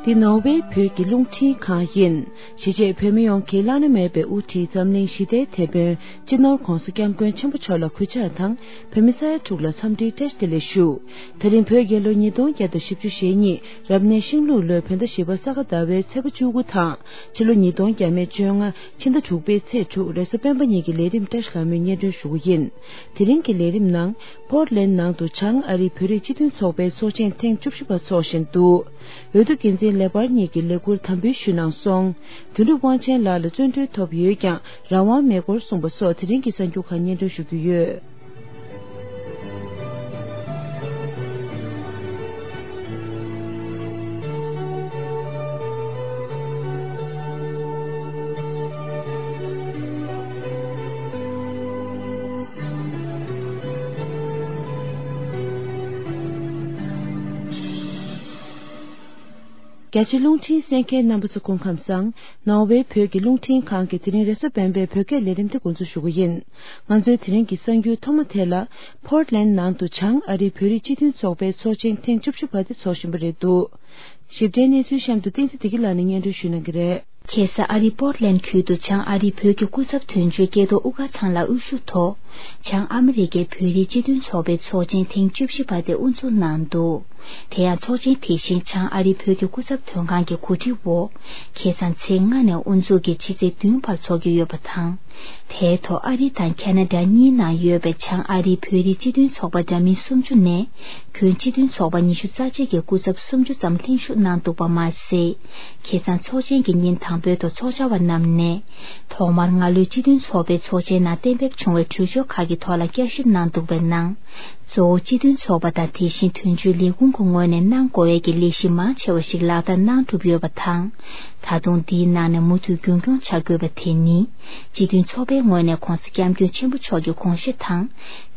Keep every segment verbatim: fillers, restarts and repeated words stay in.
འདི་ནོར་ཝེ་བོད་ཀྱི་རླུང་འཕྲིན་ཁང་ཡིན། གཞིས་བྱེས་བོད་མི་ཡོངས་ཀྱི་བླ་ན་མེད་པའི་དབུ་ཁྲིད་འཛམ་གླིང་ཞི་བདེའི་དེད་དཔོན་སྤྱི་ནོར་༧གོང་ས་༧སྐྱབས་མགོན་ཆེན་པོ་མཆོག་ལ་གུས་ཕྱག་དང་། བོད་མི་ས་ཡ་དྲུག་ལ་འཚམས་འདྲིའི་བཀྲ་ཤིས་བདེ་ལེགས་ཞུ། དེ་རིང་བོད་རྒྱལ་ལོ་ཉིས་སྟོང་བརྒྱ་དང་བཞི་བཅུ་ཞེ་གཉིས་རབ་གནས་ཤིང་ལུག་ལོའི་བོད་ཟླ་བཞི་པ་ས་ག་ཟླ་བའི་ཚེས་པ་བཅུ་དགུ་དང་། ཕྱི་ལོ་ཉིས་སྟོང་བརྒྱ་མེད་བཅོ་ལྔ་ཕྱི་ཟླ་དྲུག་པའི་ཚེས་དྲུག་རེས་གཟའ་སྤེན་པ་ཉིན་གྱི་ལས་རིམ་བཀྲ་ཤིས་ལྷ་མོས་སྙན་སྒྲོན་ཞུ་རྒྱུ་ཡིན། དེ་རིང་གི་ལས་རིམ་ནང་། པོར་ལན་ནང་དུ་བྱང་ཨ་རིའི་བོད་རིགས་སྤྱི་མཐུན་ཚོགས་པའི་ཚོགས་ཆེན་ཐེངས་བཅུ་བཞི་པ་འཚོགས་བཞིན་འདུག་འོས་བསྡུ་འགན་འཛིན་ལེགས་པར་གཉིས་ཀྱིས་ལས་འཁུར་དམ་འབུལ་ཞུས་གནང་སོང་། དོན་གྲུབ་དབང་ཆེན་ལགས་ལ་བཙོན་གྲོལ་ཐོབ་ཡོད་ཀྱང་རང་དབང་མེད་སྐོར་གསུངས་པ་སོགས་དེ་རིང་གི་གསར་འགྱུར་ཁག་སྙན་སྒྲོན་ཞུ་རྒྱུ་ཡོད། རྒྱ་ཆེ་རླུང་འཕྲིན་གསན་མཁན་རྣམ་པ་ཚོ་སྐུ་ཁམས་བཟང་། ནོར་ཝེ་བོད་ཀྱི་རླུང་འཕྲིན་ཁང་གི་དེ་རིང་རེས་གཟའ་སྤེན་པའི་བོད་སྐད་ལས་རིམ་དེ་འགོ་འཛུགས་ཞུ་གི་ཡིན། ང་ཚོའི་དེ་རིང་གི་གསར་འགྱུར་ཐོག་མ་དེ་ལ། པོར་ལན་ནང་དུ་བྱང་ཨ་རིའི་བོད་རིགས་སྤྱི་མཐུན་ཚོགས་པའི་ཚོགས་ཆེན་ཐེངས་བཅུ་བཞི་པ་དེ་འཚོགས་བཞིན་པ་རེད་འདུག་ཞིབ་ཕྲའི་གནས་ཚུལ་གཤམ་དུ་བསྟན་འཛིན་བདེ་སྐྱིད་ལགས་ནས་སྙན་སྒྲོན་ཞུ་གནང་གི་རེད། ཁ་སང་ཨ་རིའི་པོར་ལན་ཁུལ་དུ་བྱང་ཨ་རིའི་བོད་ཀྱི་སྐུ་ཚབ་དོན་གཅོད་ཀྱེ་ཏོ་དབུ་དཀར་ཚང་ལགས་དབུ་བཞུགས་ཐོག་བྱང་ཨ་མི་རི་ཀའི་བོད་རིགས་སྤྱི་མཐུན་ཚོགས་པའི་ཚོགས་ཆེན་ཐེངས་བཅུ་བཞི་པ་དེ་དབུ་འཛུགས་གནང་འདུག་དེ་ཡང་ཚོགས་ཆེན་དེ་བཞིན་བྱང་ཨ་རིའི་བོད་ཀྱི་སྐུ་ཚབ་དོན་ཁང་གི་གོ་སྒྲིག་འོག་ཁ་སང་ཚེས་ལྔ་ནས་དབུ་འཛུགས་ཀྱིས་ཕྱི་ཚེས་བདུན་བར་འཚོགས་ཀྱི་ཡོད་པ་དང་། དེའི་ཐོག་ཨ་རི་དང་ཁ་ན་ཌ་གཉིས་ནང་ཡོད་པའི་བྱང་ཨ་རིའི་བོད་རིགས་སྤྱི་མཐུན་ཚོགས་པ་འདྲ་མིན་སུམ་ཅུ་ནས་ཁྱོན་སྤྱི་མཐུན་ཚོགས་པ་ཉི་ཤུ་རྩ་གཅིག་གི་སྐུ་ཚབ་སུམ་ཅུ་ཙམ་ལྷན་ཞུགས་གནང་འདུག་པ་མ་ཟད། ཁ་སང་ཚོགས་ཆེན་གྱི་ཉིན་དང་པོའི་ཐོག་ཚོགས་བཅར་བ་རྣམས་ནས་ཐོག་མར་སྔ་ལོའི་སྤྱི་མཐུན་ཚོགས་པའི་ཚོགས་ཆེན་ནང་གཏན་འབེབས་བྱུང་བའི་གྲོས་ཆོད་ཁག་གི་ཐོག་ལ་བསྐྱར་ཞིབ་གནང་འདུག་པའི་ནང་། གཙོ་བོ་སྤྱི་མཐུན་ཚོགས་པ་དང་དེ་བཞིན་དོན་གཅོད་ལས་ཁུངས་ཀྱི་ངོས་ནས་གནང་དགོས་ཡས་ཀྱི་ལས་གཞི་མང་ཆེ་བ་ཞིག་ལག་བསྟར་གནང་གྲུབ་ཡོད་པ་དང་། ད་དུང་འདིའི་ནང་ནས་མུ་མཐུད་རྒྱུན་འཁྱོངས་བྱ་དགོས་པ་དེ་ནི། སྤྱི་མཐུན་ཚོགས་པའི་ངོས་ནས་༧གོང་ས་༧སྐྱབས་མགོན་ཆེན་པོ་མཆོག་གི་དགོངས་གཞི་དང་།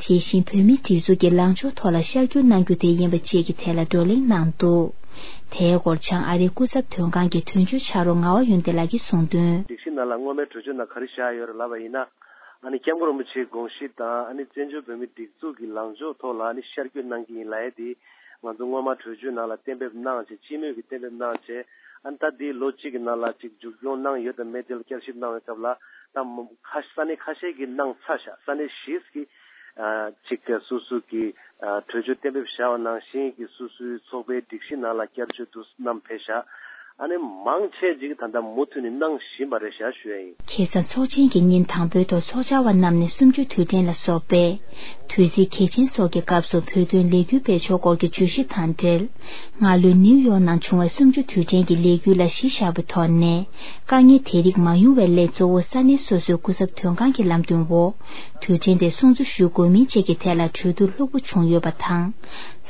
དེ་བཞིན་བོད་མིའི་སྒྲིག་འཛུགས་ཀྱི་ལངས་ཕྱོགས་ཐོག་ལ་ཤར་བསྐྱོད་གནང་རྒྱུ་དེ་ཡིན་པ་བཅས་ཀྱི་ཐད་ལ་བགྲོ་གླེང་གནང་འདུག་དེའི་སྐོར་བྱང་ཨ་རིའི་སྐུ་ཚབ་དོན་ཁང་གི་དོན་གཅོད་ཕྱག་རོགས་ངག་དབང་ཡོན་ཏན་ལགས་ཀྱིས་གསུངས་དོན། སྒྲིག་གཞི་ནང་ལ་སྔོན་མའི་གྲོས་ཆོད་ནང་ག་རེ་བཞག་ཡོད་རེད་ལབ་པ་ཡིན་ན། ཨ་ནི་༧སྐྱབས་མགོན་རིན་པོ་ཆེའི་དགོངས་གཞི་དང་ཨ་ནི་བཙན་བྱོལ་བོད་མིའི་སྒྲིག་འཛུགས་ཀྱི་ལངས་ཕྱོགས་ཐོག་ལ་ཨ་ནི་ཤར་བསྐྱོད་གནང་གི་ཡིན་ལབ་ཡས་དེ་ང་ཚོ་སྔོན་མ་གྲོས་ཆོད་ནང་ལ་གཏན་འབེབས་གནང་བྱས་སྤྱི་མོས་ཀྱི་གཏན་འབེབས་གནང་བྱས་ཨ་ནི་ད་དེའི་ལོ་གཅིག་གི་ནང་ལ་ཅིག་མཇུག་སྐྱོང་གནང་ཡོད་དམ་མེད་དེ་ལ་བསྐྱར་ཞིབ་གནང་བའི་སྐབས་ལ་ད་ཁ་ས་གནས་ཁ་ཤས་ཀྱིས་གནང་ཚར་ཤག་ས་གནས་བཞི་གིས་ཨ་ཅིག་སོ་སོ་གི་ཨ་གྲོས་ཆོད་གཏན་འབེབས་བཞག་པ་ནང་བཞིན་གྱི་སོ་སོའི་ཚོགས་པའི་སྒྲིག་གཞི་ནང་ལ་བསྐྱར་བཅོས་དུ་བསྣམས་ཕེབས་ཤག་ཨ་ནི་མང་ཆེ་ཅིག་ད་ལྟ་མུ་མཐུད་ནས་གནང་བཞིན་པ་རེད་ཤག་ཞུ་ཡ་ཡིན། ཁ་སང་ཚོགས་ཆེན་གྱི་ཉིན་དང་པོའི་ཐོག་ཚོགས་བཅར་བ་རྣམས་ནས་གསུམ་བཅུ་དུས་དྲན་ལ་སོགས་པའི་དུས་ཚིགས་གལ་ཆེན་སོགས་ཀྱི་སྐབས་སུ་བོད་དོན་ལས་འགུལ་སྤེལ་ཕྱོགས་སྐོར་གྱི་བརྗོད་གཞི་དང་འབྲེལ། སྔ་ལོའི་ནིའུ་ཡོག་ནང་བྱུང་བའི་གསུམ་བཅུ་དུས་དྲན་གྱི་ལས་འགུལ་ལ་གཞི་བཞག་པའི་ཐོག་ནས་དཀའ་ངལ་དེ་རིགས་མ་ཡོང་བའི་སླད་གཙོ་བོ་ས་གནས་སོ་སོའི་སྐུ་ཚབ་དོན་ཁང་གི་ལམ་སྟོན་འོག་དུས་དྲན་དེ་སྲུང་བརྩི་ཞུ་དགོས་མིན་བཅས་ཀྱི་ཐད་ལ་གྲོས་བསྡུར་ལྷུག་པོ་བྱུང་ཡོད་པ་དང་།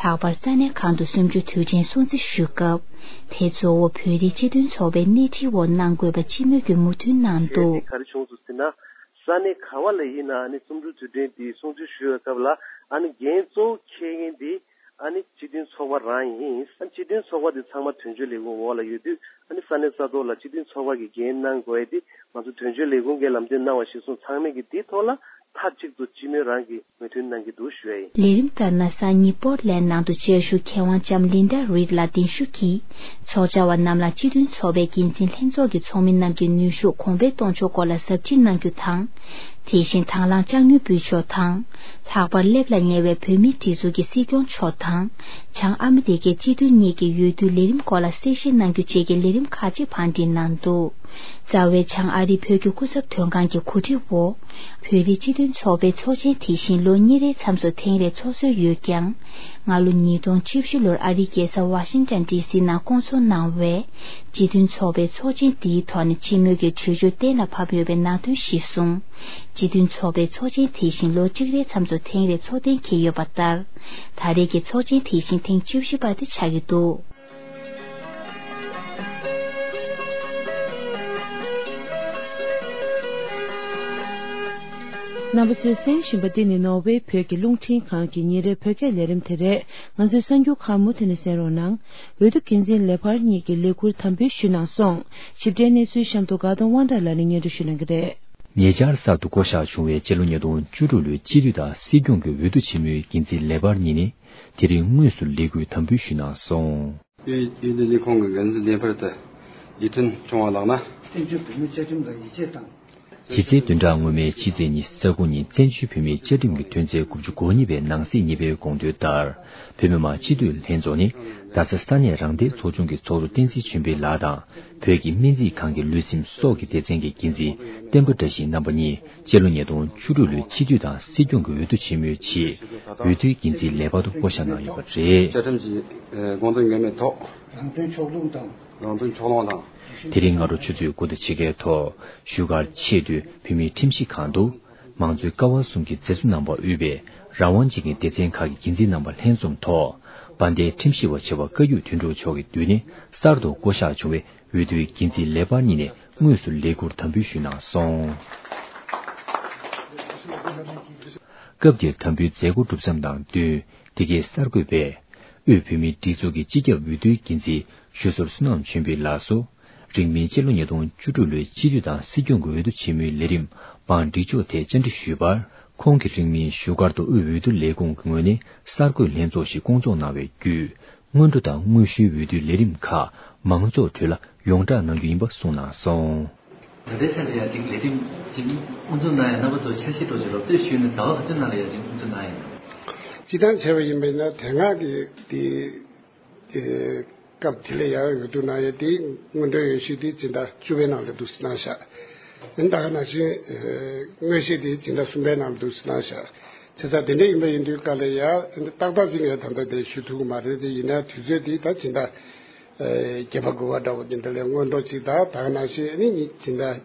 ལྷག་པར་ས་གནས་ཁག་ཏུ་གསུམ་བཅུ་དུས་དྲན་སྲུང་བརྩི་ཞུ་སྐབས། དེ་གཙོ་བོ་བོད་རིགས་སྤྱི་མཐུན་ཚོགས་པའི་སྣེ་ཁྲིད་འོག་གནང་དགོས་པ་སྤྱི་མོས་ཀྱི་མོས་མཐུན་གནང་འདུག་གལ་ཆེ་ག་རེ་བྱུང་སོང་ཟེར་ན། ས་གནས་ག་བ་ལ་ཡིན་ན་ཨ་ནི་གསུམ་བཅུ་དུས་དྲན་འདི་སྲུང་བརྩི་ཞུ་བའི་སྐབས་ལ་ཨ་ནི་འགན་གཙོ་བོ་འཁྱེར་མཁན་འདི་ཨ་ནི་སྤྱི་མཐུན་ཚོགས་པ་རང་ཡིན། ཨ་ནི་སྤྱི་མཐུན་ཚོགས་པ་འདི་ཚང་མ་དོན་གཅོད་ལས་ཁུངས་འོག་ལ་ཡོད་དུས་ཨ་ནི་ས་གནས་ས་ཐོག་ལ་སྤྱི་མཐུན་ཚོགས་པ་གི་འགན་གནང་དགོས་ཡ་འདི་ང་ཚོ་དོན་གཅོད་ལས་ཁུངས་ཀྱིས་ལམ་སྟོན་གནང་བ་གཞིར་བཟུང་ཚང་མས་ཀྱི་འདི་ཐོག་ལ་མཐའ་གཅིག་ཏུ་སྤྱི་མོས་རང་གི་མོས་མཐུན་གནང་གི་འདུག་ཞུ་ཡ་ཡིན། ལས་རིམ་ལྟར་ན་སང་ཉིན་པོར་ལན་ནང་དུ་བཅར་ཞུ་མཁས་དབང་ལྕམ་ལིན་ཌ་རིད་ལགས་གདན་ཞུ་གིས་ཚོགས་བཅར་བ་རྣམས་ལ་སྤྱི་མཐུན་ཚོགས་པའི་འགན་འཛིན་ལྷན་ཚོགས་ཀྱི་ཚོགས་མི་རྣམས་ཀྱི་ནུས་ཤུགས་གོང་འཕེལ་གཏོང་ཕྱོགས་སྐོར་ལ་ཟབ་ཁྲིད་གནང་རྒྱུ་དང་། དེ་བཞིན་དང་བླངས་ལྕགས་ཉུལ་འབུལ་ཕྱོགས་དང་། ལྷག་པར་སླེབས་ལ་ཉེ་བའི་བོད་མིའི་སྒྲིག་འཛུགས་ཀྱི་སྲིད་སྐྱོང་མཆོག་དང་། བྱང་ཨ་མི་རི་ཀའི་སྤྱི་འཐུས་གཉིས་ཀྱི་འོས་བསྡུའི་ལས་རིམ་སྐོར་ལ་གསལ་བཤད་གནང་རྒྱུ་བཅས་ཀྱི་ལས་རིམ་ཁག་ཅིག་བང་སྒྲིག་གནང་འདུག་རྩ་བའི་བྱང་ཨ་རིའི་བོད་ཀྱི་སྐུ་ཚབ་དོན་ཁང་གི་གོ་སྒྲིག་འོག་བོད་རིགས་སྤྱི་མཐུན་ཚོགས་པའི་ཚོགས་ཆེན་དེ་བཞིན་ལོ་གཉིས་རེའི་མཚམས་སུ་ཐེངས་རེ་ཚོགས་སྲོལ་ཡོད་ཀྱང་། སྔ་ལོ་ཉིས་སྟོང་བཅུ་བཞི་ལོར་ཨ་རིའི་རྒྱལ་ས་ཝ་ཤིང་ཊོན་ཌི་སི་ནང་བསྐོང་ཚོགས་གནང་བའི་སྤྱི་མཐུན་ཚོགས་པའི་ཚོགས་ཆེན་འདིའི་ཐོག་ནས་སྤྱི་མོས་ཀྱི་གྲོས་ཆོད་གཏན་ལ་ཕབ་ཡོད་པའི་ནང་དོན་གཞིར་བཟུང་། སྤྱི་མཐུན་ཚོགས་པའི་ཚོགས་ཆེན་དེ་བཞིན་ལོ་གཅིག་རེའི་མཚམས་སུ་ཐེངས་རེ་ཚོགས་གཏན་འཁེལ་ཡོད་པ་ལྟར། ད་རེས་ཀྱི་ཚོགས་ཆེན་དེ་བཞིན་ཐེངས་བཅུ་བཞི་པ་དེ་ཆགས་ཀྱི་འདུག་རྣམ་པ་ཚོས་གསན་བཞིན་པ་འདི་ནི་ནོར་ཝེ་བོད་ཀྱི་རླུང་འཕྲིན་ཁང་གི་ཉིན་རེའི་བོད་སྐད་ལས་རིམ་དེ་རེད། ང་ཚོའི་གསར་འགྱུར་ཁག་མུ་མཐུད་ནས་གསན་རོགས་གནང་། འོས་བསྡུ་འགན་འཛིན་ལེགས་པར་གཉིས་ཀྱིས་ལས་ཁུར་དམ་འབུལ་ཞུས་གནང་སོང་། ཞིབ་ཕྲའི་གནས་ཚུལ་གཤམ་དུ་དགའ་གདོང་དབང་གྲགས་ལགས་ནས་སྙན་སྒྲོན་ཞུ་གནང་གི་རེད། ཉེ་ཆར་གསར་དུ་བསྐོ་གཞག་བྱུང་བའི་སྤྱི་ལོ་ཉིས་སྟོང་བཅུ་དྲུག་ལོའི་སྤྱི་འཐུས་དང་སྲིད་སྐྱོང་གི་འོས་བསྡུ་ཆེན་མོའི་འགན་འཛིན་ལེགས་པར་གཉིས་ནས་དེ་རིང་དངོས་སུ་ལས་ཁུར་དམ་འབུལ་ཞུས་གནང་སོང་། དབུས་འོས་བསྡུ་ལས་ཁུངས་ཀྱི་འགན་འཛིན་ལས་འཕར་དུ་ཡིད་མཐུན་བྱུང་བ་ལགས་ན། བཙན་བྱོལ་བོད་མིའི་བཅའ་ཁྲིམས་ལ་ཡིད་ཆེས་དང་། གཞི་རྩའི་བདུན་ཕྲག་སྔོན་མའི་ཕྱི་ཚེས་ཉི་ཤུ་རྩ་དགུ་ཉིན་བཙན་བྱོལ་བོད་མིའི་བཅའ་ཁྲིམས་ཀྱི་དོན་ཚན་དགུ་བཅུ་གོ་གཉིས་པའི་ནང་གསེས་གཉིས་པའི་དགོངས་དོན་ལྟར། བོད་མི་མང་སྤྱི་འཐུས་ལྷན་ཚོགས་ནི་རྡ་ས་ས་གནས་རང་བདེན་ཚོགས་ཆུང་གི་ཚོགས་གཙོ་བསྟན་འཛིན་ཆོས་འཕེལ་ལགས་དང་། བོད་ཀྱི་སྨན་རྩིས་ཁང་གི་ལུས་སེམས་སྲོག་གི་སྡེ་ཚན་གྱི་འགན་འཛིན་བསྟན་པ་བཀྲ་ཤིས་རྣམ་པ་གཉིས་སྤྱི་ལོ་ཉིས་སྟོང་བཅུ་དྲུག་ལོའི་སྤྱི་འཐུས་དང་སྲིད་སྐྱོང་གི་འོས་བསྡུ་ཆེན་མོའི་ཆེད་འོས་བསྡུའི་འགན་འཛིན་ལས་འཕར་དུ་བསྐོ་གཞག་གནང་ཡོད་པ་རེད། བཅའ་ཁྲིམས་ཀྱི་དགོངས་དོན་ངེས་མེད་ཐོག་རང་དོན་ཕྱོགས་ལྷུང་དང་། རང་དོན་ཕྱོགས་ལྷུང་དང་། དེ་རིང་སྔ་དྲོ་ཆུ་ཚོད་དགུ་དང་ཕྱེད་ཀའི་ཐོག་བཞུགས་སྒར་ཆེས་མཐོའི་བོད་མིའི་ཁྲིམས་ཞིབ་ཁང་དུ། མང་གཙོའི་ཀ་བ་གསུམ་གྱི་མཛད་གཙོ་རྣམ་པ་དབུས་པའི་རང་དབང་ཅན་གྱི་སྡེ་ཚན་ཁག་གི་འགན་འཛིན་རྣམ་པ་ལྷན་འཛོམས་ཐོག་དཔལ་ལྡན་ཁྲིམས་ཞིབ་པ་ཆེ་བ་བཀའ་བརྒྱུད་དོན་གྲུབ་མཆོག་གི་མདུན་ནས་གསར་དུ་བསྐོ་གཞག་བྱུང་བའི་འོས་བསྡུའི་འགན་འཛིན་ལས་འཕར་གཉིས་ནས་དངོས་སུ་ལས་ཁུར་དམ་འབུལ་ཞུས་གནང་སོང་། སྐབས་འདིར་དམ་འབུལ་མཛད་སྒོ་གྲུབ་མཚམས་དང་བསྟུན། འདི་གའི་གསར་འགོད་པས། དབུས་བོད་མིའི་སྒྲིག་འཛུགས་ཀྱི་སྤྱི་ཁྱབ་འོས་བསྡུའི་འགན་འཛིན་ཞུ་ཟུར་བསོད་ནམས་ཆོས་འཕེལ་ལགས་སུ། རིང་མིན་སྤྱི་ལོ་ཉིས་སྟོང་བཅུ་དྲུག་ལོའི་སྤྱི་འཐུས་དང་སྲིད་སྐྱོང་གི་འོས་བསྡུ་ཆེན་མོའི་ལས་རིམ་བང་སྒྲིག་ཕྱོགས་ཐད་བཅར་འདྲི་ཞུས་པར། ཁོང་གིས་རིང་མིན་བཞུགས་སྒར་དུ་དབུས་འོས་བསྡུ་ལས་ཁུངས་ཀྱི་ངོས་ནས་གསར་འགོད་ལྷན་ཚོགས་ཤིག་བསྐོང་ཚོགས་གནང་བའི་བརྒྱུད། སྔོན་འགྲོ་དང་དངོས་ཞུའི་འོས་བསྡུའི་ལས་རིམ་ཁག་མང་ཚོགས་ཁྲོད་ལ་ཡོངས་བསྒྲགས་གནང་རྒྱུ་ཡིན་པ་གསུངས་གནང་སོང་། ད་ལྟའི་ཆར་ལ་ཡང་ཅིག་ལས་རིམ་ཅིག་དབུ་འཛུགས་གནང་ཡ་རྣམ་པ་ཚོ་འཆར་གཞི་ཐོག་ཅིག་རོབ་ཙམ་ཞུས་ནས་ཟླ་བ་ག་ཚོད་ནང་ལ་ཡང་ཅིག་དབུ་འཛུགས་གནང་ཡ་ཡིན། སྤྱིར་བཏང་བྱས་པ་ཡིན་པས་ན་དེ་སྔ་གི་དེ་སྐབས་དེ་ལ་ཡང་འོས་བསྡུ་གནང་ཡ་དེ་སྔོན་འགྲོའི་འོས་ཤོག་དེ་སྤྱི་ཟླ་བཅུ་པའི་ནང་ལ་འདུག་སེ་གནང་བཞག་ཨ་ནི་ད་ག་ནང་བཞིན་དངོས་གཞི་དེ་སྤྱི་ཟླ་གསུམ་པའི་ནང་ལ་འདུག་སེ་གནང་བཞག་བྱས་ཙང་དེ་འདྲ་ཡིན་པ་ཡིན་དུས་སྐབས་ལ་ཡང་ཏག་ཏག་ཅིག་ངས་ད་ལྟ་དེ་ཞུ་ཐུབ་ཀྱི་མ་རེད། དེ་ཡིན་ན་དུས་ཚོད་དེ་ད་སྤྱི་ཟླ་ཨེ་བརྒྱད་པ་དགུ་པ་འདྲ་བོ་དེ་འདྲ་ལས་སྔོན་འགྲོ་ཅིག་དང་། ད་ག་ནང་བཞིན་ཨ་ནི་ཉི་སྤྱི་ཟླ་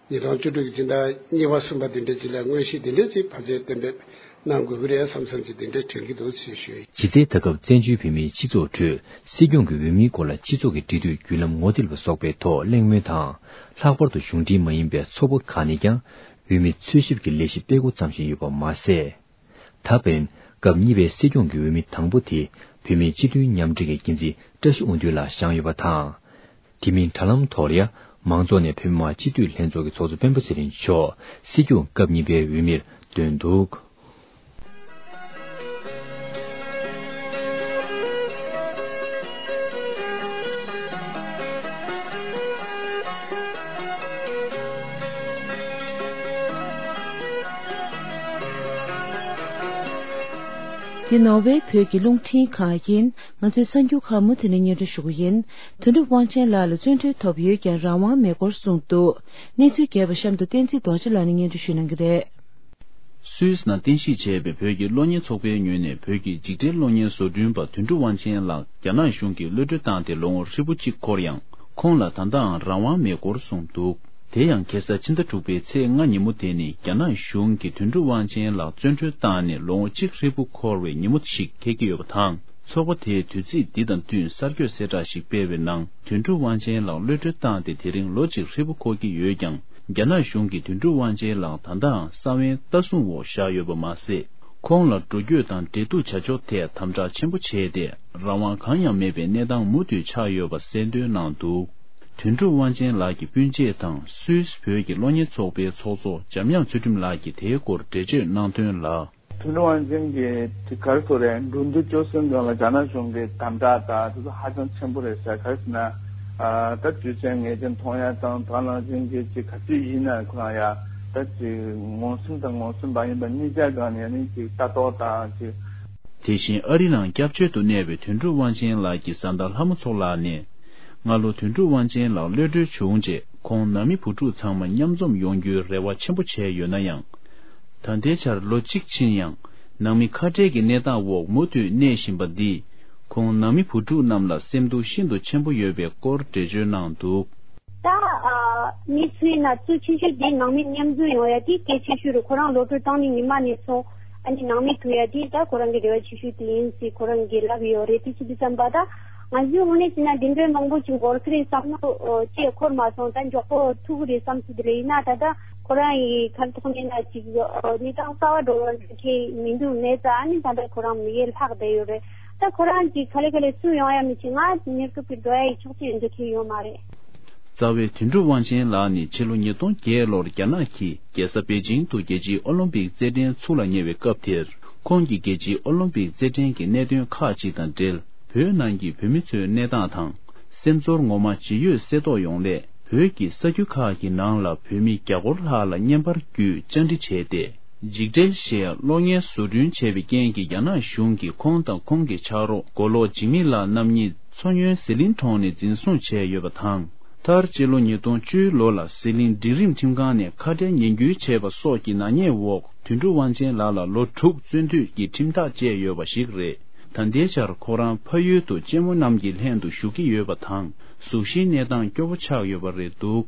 ཉིས་སྟོང་བཅུ་དྲུག་གི་སྤྱི་ཟླ་གཉིས་པ་གསུམ་པ་དེ་འདྲ་ཅིག་ལ་དངོས་གཞི་དེ་འདྲ་ཅིག་ཕལ་ཆེར་གཏན་འབེབས་གནང་དགོས་ཀྱི་རེད་བསམ་བསམ་ཅིག་དེ་འདྲ་དྲན་གྱི་འདུག་ཅེས་ཞུ། གཞི་རྩའི་ད་སྐབས་བཙན་བྱོལ་བོད་མིའི་སྤྱི་ཚོགས་ཁྲོད་སྲིད་སྐྱོང་གི་འོས་མིའི་སྐོར་ལ་སྤྱི་ཚོགས་ཀྱི་འབྲེལ་མཐུད་བརྒྱུད་ལམ་ངོ་དེབ་ལ་སོགས་པའི་ཐོག་གླེང་མོལ་དང་། ལྷག་པར་དུ་གཞུང་འབྲེལ་མ་ཡིན་པའི་ཚོགས་པ་ཁག་ནས་ཀྱང་འོས་མི་འཚོལ་ཞིབ་ཀྱི་ལས་གཞི་སྤེལ་འགོ་བརྩམས་བཞིན་ཡོད་པ་མ་ཟད། ད་ཕན་སྐབས་གཉིས་པའི་སྲིད་སྐྱོང་གི་འོས་མི་དང་པོ་དེ་བོད་མིའི་སྤྱི་མཐུན་མཉམ་འབྲེལ་གྱི་འགན་འཛིན་བཀྲ་ཤིས་དབང་འདུས་ལགས་བཞེངས་ཡོད་པ་དང་། དེ་མིན་དྲ་ལམ་ཐོག་ལ་ཡང་མང་ཚོགས་ནས་བོད་མི་མང་སྤྱི་འཐུས་ལྷན་ཚོགས་ཀྱི་ཚོགས་གཙོ་སྤེན་པ་ཚེ་རིང་མཆོག་སྲིད་སྐྱོང་སྐབས་གཉིས་པའི་འོས་མིར་བཏོན་འདུག། འདི་ནོར་ཝེ་བོད་ཀྱི་རླུང་འཕྲིན་ཁང་ཡིན། ང་ཚོའི་གསར་འགྱུར་ཁག་མུ་མཐུད་ནས་སྙན་སྒྲོན་ཞུ་གི་ཡིན། དོན་གྲུབ་དབང་ཆེན་ལགས་ལ་བཙོན་གྲོལ་ཐོབ་ཡོད་ཀྱང་རང་དབང་མེད་སྐོར་གསུངས་འདུག། གནས་ཚུལ་རྒྱས་པ་གཤམ་དུ་བསྟན་འཛིན་རྡོ་རྗེ་ལགས་ནས་སྙན་སྒྲོན་ཞུ་གནང་གི་རེད། སུད་སི་ནང་རྟེན་གཞི་བྱས་པའི་བོད་ཀྱི་གློག་བརྙན་ཚོགས་པའི་ངོས་ནས་བོད་ཀྱི་འཇིགས་བྲལ་གློག་བརྙན་བཟོ་སྐྲུན་པ་དོན་གྲུབ་དབང་ཆེན་ལགས་རྒྱ་ནག་གཞུང་གིས་གློད་གྲོལ་བཏང་སྟེ་ལོ་ངོ་ཧྲིལ་པོ་གཅིག་འཁོར་ཡང་། ཁོང་ལ་ད་ལྟའང་རང་དབང་མེད་སྐོར་གསུངས་འདུག། དེ་ཡང་ཁ་སང་ཕྱི་ཟླ་དྲུག་པའི་ཚེས་ལྔ་ཉིན་མོ་དེ་ནི་རྒྱ་ནག་གཞུང་གིས་དོན་གྲུབ་དབང་ཆེན་ལགས་བཙོན་གྲོལ་བཏང་ནས་ལོ་ངོ་གཅིག་ཧྲིལ་པོ་འཁོར་བའི་ཉིན་མོ་ཞིག་འཁེལ་གྱི་ཡོད་པ་དང་། ཚོགས་པ་དེས་དུས་ཚིགས་འདི་དང་བསྟུན་གསར་འགོད་གསལ་བསྒྲགས་ཤིག་སྤེལ་བའི་ནང་། དོན་གྲུབ་དབང་ཆེན་ལགས་གློད་གྲོལ་བཏང་སྟེ་དེ་རིང་ལོ་གཅིག་ཧྲིལ་པོ་འཁོར་གྱི་ཡོད་ཀྱང་། རྒྱ་ནག་གཞུང་གིས་དོན་གྲུབ་དབང་ཆེན་ལགས་ད་ལྟའང་ས་བོན་ལྟ་སྲུང་འོག་བཞག་ཡོད་པ་མ་ཟད། ཁོང་ལ་འགྲོ་སྐྱོད་དང་འབྲེལ་གཏུག་བྱ་ཕྱོགས་ཐད་དམ་དྲག་ཆེན་པོ་བྱས་ཏེ། རང་དབང་གང་ཡང་མེད་པའི་གནས་སྟངས་མུ་མཐུད་ཆགས་ཡོད་པ་གསལ་འདོན་གནང་འདུག། དོན་གྲུབ་དབང་ཆེན་ལགས་ཀྱི་སྤུན་མཆེད་དང་སུད་སི་བོད་ཀྱི་གློག་བརྙན་ཚོགས་པའི་ཚོགས་གཙོ་འཇམ་དབྱངས་ཚུལ་ཁྲིམས་ལགས་ཀྱིས་དེའི་སྐོར་འགྲེལ་བརྗོད་གནང་དོན་ལ། དོན་གྲུབ་དབང་ཆེན་གྱི་དེ་ག་རེ་ཟེར་རེད། འགྲོ་འདུག་སྐྱོད་སྲོལ་སྒང་ལ་རྒྱ་ནག་གཞུང་གི་དམ་དྲག་དང་དེ་ཚོ་ཧ་ཅང་ཆེན་པོ་རེད་ཟེར། ག་རེ་ཟེར་ན། ཨ་ད་དུས་ཚོད་ངེས་ཅན་མཐོང་ཡ་དང་ད་ནང་བཞིན་གྱི་ཅིག་ག་དུས་ཡིན་ན་ཁོ་རང་ཡ་ད་ཅིག་ངོ་སྲུང་དང་ངོ་སྲུང་མ་ཡིན་པ་གཉིས་ཆ་སྒང་ནས་ནི་ཅིག་ལྟ་རྟོག་དང་ཅིག། དེ་བཞིན་ཨ་རི་ནང་སྐྱབས་བཅོལ་དུ་གནས་པའི་དོན་གྲུབ་དབང་ཆེན་ལགས་ཀྱི་བཟའ་ཟླ་ལྷ་མོ་མཚོ་ལགས་ནས། སྔ་ལོ་དོན་གྲུབ་དབང་ཆེན་ལགས་གློད་གྲོལ་བྱུང་རྗེས་ཁོང་ནང་མི་བུ་ཕྲུག་ཚང་མ་མཉམ་འཛོམས་ཡོང་རྒྱུའི་རེ་བ་ཆེན་པོ་བྱས་ཡོད་ན་ཡང་། ད་ལྟའི་ཆར་ལོ་གཅིག་ཕྱིན་ཡང་ནང་མི་ཁ་བྲལ་གྱི་གནས་སྟངས་འོག་མུ་མཐུད་གནས་བཞིན་པ་འདིས་ཁོང་ནང་མི་བུ་ཕྲུག་རྣམས་ལ་སེམས་སྡུག་ཤིན་ཏུ་ཆེན་པོ་ཡོད་པའི་སྐོར་འགྲེལ་བརྗོད་གནང་འདུག། ད་ཨ་གནས་ཚུལ་ཡིན་ན་གཙོ་ཆེ་ཤོས་དེ་ནང་མི་མཉམ་འཛོམས་ཡོང་ཡ་དེ་གལ་ཆེ་ཤོས་རེད། ཁོ་རང་གློད་གྲོལ་བཏང་ནས་ཉི་མ་ནས་བཟུང་ཨ་ནི་ནང་མི་ཐུག་ཡ་དེ་ད་ཁོ་རང་གི་རེ་བ་ཆེ་ཤོས་དེ་ཡིན་ཟེར་ཁོ་རང་གིས་ལབ་ཡོད་རེད། དེ་ཅི་འདི་བསམ་པ་ད་ང་ཚོའི་དངོས་གནས་བྱས་ན་འདི་འདྲའི་མང་པོ་ཅིག་འགོར་གི་རེད་བསམ་ནོ་ཅིག་འཁོར་མ་སོང་། ད་མགྱོགས་པོ་ཐུག་གི་རེད་བསམ་ཚུལ་དེ་རེད། ཡིན་ན་ད་ལྟ་ཁོ་རང་གི་ཁ་ཐོག་ནས་ན་ཅིག་གནས་སྟངས་གསར་པ་འགྲོ་བ་འཁེལ་མི་འདུག་ནས་ད་ཨ་ནི་ད་ལྟ་ཁོ་རང་མི་ཡུལ་ལྷག་བསྡད་ཡོད་རེད། ད་ཁོ་རང་གིས་ག་ལེ་ག་ལེ་སུ་ཡོང་ཡ་མི་བྱེད། ང་གནས་སྐབས་ཀྱི་འགྲོ་ཡ་ཡི་ཕྱོགས་གཅིག་འགྲོ་མཁན་ཡོད་མ་རེད། རྩ་བའི་དོན་གྲུབ་དབང་ཆེན་ལགས་ནི་ཕྱི་ལོ་ཉིས་སྟོང་བརྒྱད་ལོར་རྒྱ་ནག་གི་རྒྱལ་ས་པེ་ཅིང་དུ་རྒྱལ་སྤྱིའི་ཨོ་ལིམ་པིག་རྩེད་འགྲན་ཚུགས་ལ་ཉེ་བའི་སྐབས་དེར། ཁོང་གིས་རྒྱལ་སྤྱིའི་ཨོ་ལིམ་པིག་རྩེད་འགྲན་གྱི་གནད་དོན་ཁག་ཅིག་དང་འབྲེལ། བོད་ནང་གི་བོད་མི་ཚོའི་གནས་སྟངས་དང་། སེམས་ཚོར་ངོ་མ་ཇི་ཡོད་གསལ་རྟོགས་ཡོང་སླད། བོད་ཀྱི་ས་རྒྱུད་ཁག་གི་ནང་ལ་བོད་མི་བརྒྱ་སྐོར་ལྷག་ལ་བརྙན་པར་བརྒྱུད་བཅར་འདྲི་བྱས་ཏེ། འཇིགས་བྲལ་ཞེས་གློག་བརྙན་བཟོ་སྐྲུན་བྱས་པའི་རྐྱེན་གྱིས། རྒྱ་ནག་གཞུང་གིས་ཁོང་དང་ཁོང་གི་ཕྱག་རོགས་མགོ་ལོག་འཇིགས་མེད་ལགས་རྣམ་གཉིས་མཚོ་སྔོན་ཟི་ལིང་གྲོང་ནས་འཛིན་བཟུང་བྱས་ཡོད་པ་དང་། མཐར་སྤྱི་ལོ་ཉིས་སྟོང་བཅུའི་ལོ་ལ་ཟི་ལིང་སྒྲིག་རིམ་ཁྲིམས་ཁང་ནས་ཁ་བྲལ་ཉེས་འགུལ་བྱས་པ་སོགས་ཀྱི་ནག་ཉེས་འོག་དོན་གྲུབ་དབང་ཆེན་ལགས་ལ་ལོ་དྲུག་བཙོན་འཐུས་ཀྱི་ཁྲིམས་ཐག་བཅད་ཡོད་པ་ཞིག་རེད། ད་ལྟའི་ཆར་ཁོ་རང་ཕ་ཡུལ་དུ་གཅེན་མོ་རྣམས་ཀྱི་ལྷན་དུ་བཞུགས་ཀྱི་ཡོད་པ་དང་། གཟུགས་གཞིའི་གནས་སྟངས་སྐྱོ་པོ་ཆགས་ཡོད་པ་རེད་འདུག།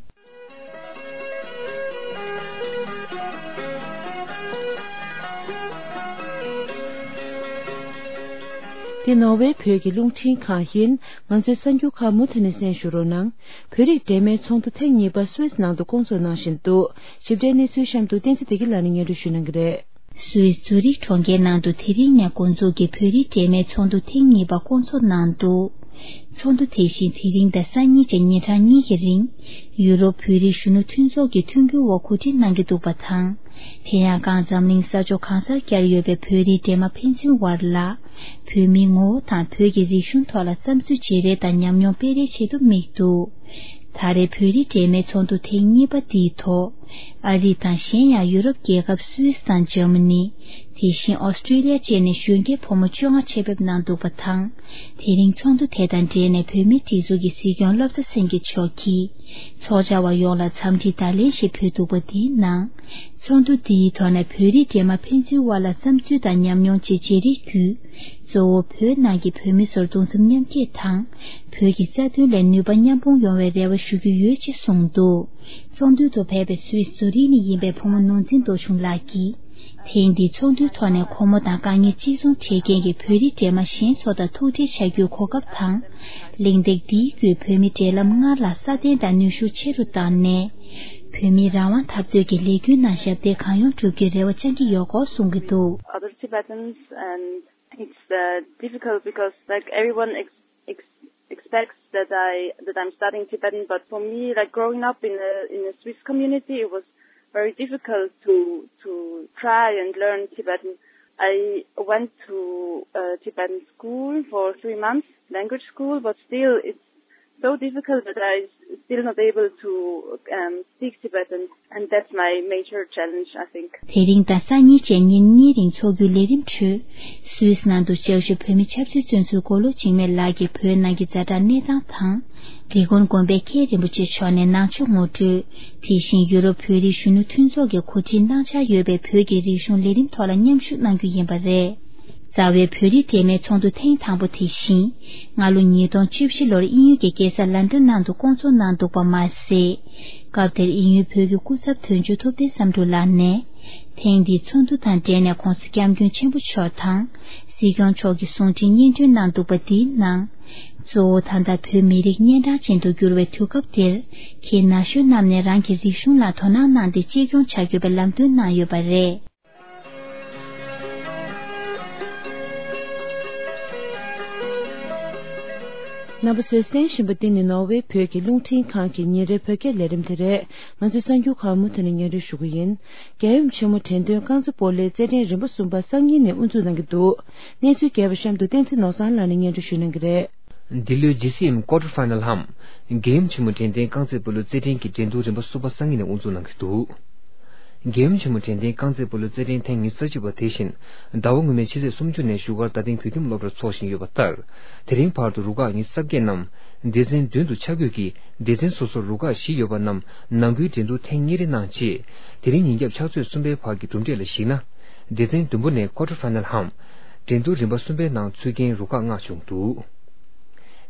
འདི་ནོར་ཝེ་བོད་ཀྱི་རླུང་འཕྲིན་ཁང་ཡིན། ང་ཚོའི་གསར་འགྱུར་ཁག་མུ་མཐུད་ནས་གསན་ཞུ་རོགས་གནང་། བོད་རིགས་འབྲེལ་མོལ་ཚོགས་འདུ་ཐེངས་གཉིས་པ་སུད་སི་ནང་དུ་བསྐོང་ཚོགས་གནང་བཞིན་འདུག། ཞིབ་ཕྲའི་གནས་ཚུལ་གཤམ་དུ་བསྟན་འཛིན་བདེ་སྐྱིད་ལགས་ནས་སྙན་སྒྲོན་ཞུ་གནང་གི་རེད། སུད་སི་ཛུ་རིག་གྲོང་ཁྱེར་ནང་དུ་དེ་རིང་ནས་འགོ་འཛུགས་ཀྱི་བོད་རིགས་འབྲེལ་མོལ་ཚོགས་འདུ་ཐེངས་གཉིས་པ་བསྐོང་ཚོགས་གནང་འདུག། ཚོགས་འདུ་དེ་བཞིན་དེ་རིང་དང་སང་ཉིན་བཅས་ཉིན་གྲངས་གཉིས་ཀྱི་རིང་ཡུ་རོབ་བོད་རིགས་གཞོན་ནུ་མཐུན་ཚོགས་ཀྱི་མཐུན་འགྱུར་འོག་གོ་སྒྲིག་གནང་གི་འདུག་པ་དང་། དེ་ཡང་གང་འཛམ་གླིང་ས་ཕྱོགས་གང་སར་བསྐྱར་ཡོད་པའི་བོད་རིགས་འདྲེས་མ་ཕན་ཚུན་དབར་ལ་བོད་མིའི་ངོ་བོ་དང་བོད་ཀྱི་རིག་གཞུང་ཐོག་ལ་བསམ་ཚུལ་བརྗེ་རེས་དང་ཉམས་མྱོང་སྤེལ་རེས་ཆེད་དུ་དམིགས་འདུག། ད་རེས་བོད་རིགས་འབྲེལ་མོལ་ཚོགས་འདུ་ཐེངས་གཉིས་པ་འདིའི་ཐོག་ཨ་རི་དང་གཞན་ཡང་ཡུ་རོབ་རྒྱལ་ཁབ་སུད་སི་དང་འཇར་མ་ནི། དེ་བཞིན་ཨོ་སི་ཀྲི་ལི་ཡ་བཅས་ནས་གཞོན་སྐྱེས་ཕོ་མོ་བཅོ་ལྔ་ཆེད་ཕེབས་གནང་འདུག་པ་དང་། དེ་རིང་ཚོགས་འདུ་དེ་དང་འབྲེལ་ནས་བོད་མིའི་སྒྲིག་འཛུགས་ཀྱི་སྲིད་སྐྱོང་བློ་བཟང་སེང་གེ་མཆོག་གིས་ཚོགས་བཅར་བ་ཡོངས་ལ་འཚམས་འདྲིའི་བརྡ་ལན་ཞིག་ཕུལ་འདུག་པ། འདིའི་ནང་ཚོགས་འདུ་འདིའི་ཐོག་ནས་བོད་རིགས་འདྲེས་མ་ཕན་ཚུན་དབར་ལ་བསམ་ཚུལ་དང་ཉམས་མྱོང་བཅས་བརྗེ་རེས་བརྒྱུད། གཙོ་བོ་བོད་ནང་གི་བོད་མི་ཚོར་གདུང་སེམས་མཉམ་སྐྱེད་དང་། བོད་ཀྱི་རྩ་དོན་ལ་ནུས་པ་མཉམ་སྤུངས་ཡོང་བའི་རེ་བ་ཞུ་རྒྱུ་ཡོད་ཅེས་གསུངས་འདུག། ཚོགས་འདུའི་ཐོག་ཕེབས་པའི་སུད་སི་ཛུ་རིག་ནས་ཡིན་པའི་བུ་མོ་ནོར་འཛིན་རྡོ་ཆུང་ལགས་ཀྱིས། ཐེངས་འདིའི་ཚོགས་འདུའི་ཐོག་ནས་ཁོ་མོ་དང་དཀའ་ངལ་གཅིག་མཚུངས་འཕྲད་མཁན་གྱི་བོད་རིགས་འདྲེས་མ་གཞན་ཚོ་དང་ཐུག་འཕྲད་བྱ་རྒྱུའི་གོ་སྐབས་དང་། གླེང་སྟེགས་འདིའི་བརྒྱུད་བོད་མི་འབྲེལ་ལམ་སྔར་ལ་སྲ་བརྟན་དང་ནུས་ཤུགས་ཆེ་རུ་བཏང་ནས། བོད་མིའི་རང་དབང་འཐབ་རྩོད་ཀྱི་ལས་འགུལ་ནང་ཞབས་འདེགས་གང་ཡོང་སྒྲུབ་རྒྱུའི་རེ་བ་བཅང་གི་ཡོད་སྐོར་གསུང་གི་འདུག། Other Tibetans, and it's uh, difficult because, like, everyone ex- ex- expects that I that I'm studying Tibetan, but for me, like, growing up in a in a Swiss community, it was very difficult to to try and learn Tibetan. I went to a Tibetan school for three months, language school, but still it's so difficult that I still not able to um, speak Tibetan, and that's my major challenge, I think. དེ་རིང་དང་སང་ཉིན་བཅས་ཉིན་གཉིས་རིང་འཚོགས་རྒྱུའི་ལས་རིམ་ཁྲོད། སུད་སི་ནང་དུ་ལྕགས་ཞུ་བོད་མི་ཆབ་སྲིད་བཙོན་ཟུར་མགོ་ལོག་འཇིགས་མེད་ལགས་ཀྱིས་བོད་ནང་གི་ཛ་དྲག་གནས་སྟངས་དང་། རི་ཀོན་དགོན་པའི་མཁན་རིན་པོ་ཆེ་མཆོག་ནས་ནང་ཆོས་ངོ་སྤྲོད། དེ་བཞིན་ཡུ་རོབ་བོད་རིགས་གཞོན་ནུ་མཐུན་ཚོགས་ཀྱིས་གོ་སྒྲིག་གནང་འཆར་ཡོད་པའི་བོད་ཀྱི་རིག་གཞུང་ལས་རིམ་ཐོག་ལ་མཉམ་ཞུགས་གནང་རྒྱུ་ཡིན་པ་རེད། རྩ་བའི་བོད་རིགས་འབྲེལ་མོལ་ཚོགས་འདུ་ཐེངས་དང་པོ་དེ་བཞིན། སྔ་ལོ་ཉིས་སྟོང་བཅུ་བཞི་ལོར་དབྱིན་ཡུལ་གྱི་རྒྱལ་ས་ལན་ཌན་ནང་དུ་བསྐོང་ཚོགས་གནང་འདུག་པ་མ་ཟད། སྐབས་དེར་དབྱིན་ཡུལ་བོད་ཀྱི་སྐུ་ཚབ་དོན་གཅོད་ཐུབ་བསྟན་བསམ་གྲུབ་ལགས་ནས། ཐེངས་འདིའི་ཚོགས་འདུ་དང་འབྲེལ་ནས་༧གོང་ས་༧སྐྱབས་མགོན་ཆེན་པོ་མཆོག་དང་། སྲིད་སྐྱོང་མཆོག་གི་གསུང་འཕྲིན་སྙན་སྒྲོན་གནང་འདུག་པ། འདིའི་ནང་། གཙོ་བོ་ད་ལྟ་བོད་མི་རིགས་གཉན་འཕྲང་ཅན་དུ་གྱུར་བའི་དུས་སྐབས་འདིར། ཁྱེད་ན་གཞོན་རྣམས་ནས་རང་གི་རིག་གཞུང་ལ་དོ་སྣང་གནང་སྟེ་གཅེས་སྐྱོང་བྱ་དགོས་པའི་ལམ་སྟོན་གནང་ཡོད་པ་རེད། རྣམ་པ་ཚོས་གསན་བཞིན་པ་འདི་ནི་ནོར་ཝེ་བོད་ཀྱི་རླུང་འཕྲིན་ཁང་གི་ཉིན་རེའི་བོད་སྐད་ལས་རིམ་དེ་རེད། ང་ཚོའི་གསར་འགྱུར་ཁག་མུ་མཐུད་ནས་སྙན་སྒྲོན་ཞུ་གི་ཡིན། རྒྱལ་ཡུམ་ཆེན་མོ་དྲན་རྟེན་རྐང་རྩེད་སྤོ་ལོའི་རྩེད་འགྲན་རིམ་པ་གསུམ་པ་སང་ཉིན་ནས་དབུ་འཛུགས་གནང་གི་འདུག། གནས་ཚུལ་རྒྱས་པ་གཤམ་དུ་བསྟན་འཛིན་ནོར་བཟང་ལགས་ནས་སྙན་སྒྲོན་ཞུ་གནང་གི་རེད། འདི་ལོའི་ཇི་སི་ཨེམ་ཀོ་ཊར་ཕའི་ནལ་འམ། རྒྱལ་ཡུམ་ཆེན་མོ་དྲན་རྟེན་རྐང་རྩེད་སྤོ་ལོ་རྩེད་འགྲན་གྱི་འགྲན་བསྡུར་རིམ་པ་གསུམ་པ་སང་ཉིན་ནས་དབུ་འཛུགས་གནང་གི་འདུག། རྒྱལ་ཡུམ་ཆེན་མོ་དྲན་རྟེན་རྐང་རྩེད་སྤོ་ལོ་རྩེད་འགྲན་ཐེངས་ཉི་ཤུ་རྩ་གཅིག་པ་དེ་བཞིན་ཟླ་བ་སྔོན་མའི་ཕྱི་ཚེས་སུམ་ཅུ་ནས་བཞུགས་སྒར་རྡ་སྟེང་བོད་ཁྱིམ་སློབ་གྲྭར་འཚོགས་བཞིན་ཡོད་པ་ལྟར། དེ་རིང་བར་དུ་རུ་ཁག་ཉི་ཤུ་རྩ་བརྒྱད་རྣམས་སྡེ་ཚན་བདུན་དུ་ཆ་བགོས་ཀྱིས་སྡེ་ཚན་སོ་སོར་རུ་ཁག་བཞི་ཡོད་པ་རྣམས་ནང་ཁུལ་འགྲན་བསྡུར་ཐེངས་གཉིས་རེ་གནང་རྗེས། དེ་རིང་ཉིན་རྒྱབ་ཕྱག་ཚོད་གསུམ་པའི་བར་གྱི་གྲུབ་འབྲས་ལ་གཞིགས་ན། སྡེ་ཚན་བདུན་པོ་ནས་ཀོ་ཊར་ཕའི་ནལ་འམ། འགྲན་བསྡུར་རིམ་པ་གསུམ་པའི་ནང་ཚུད་མཁན་རུ་ཁག་ལྔ་བྱུང་འདུག།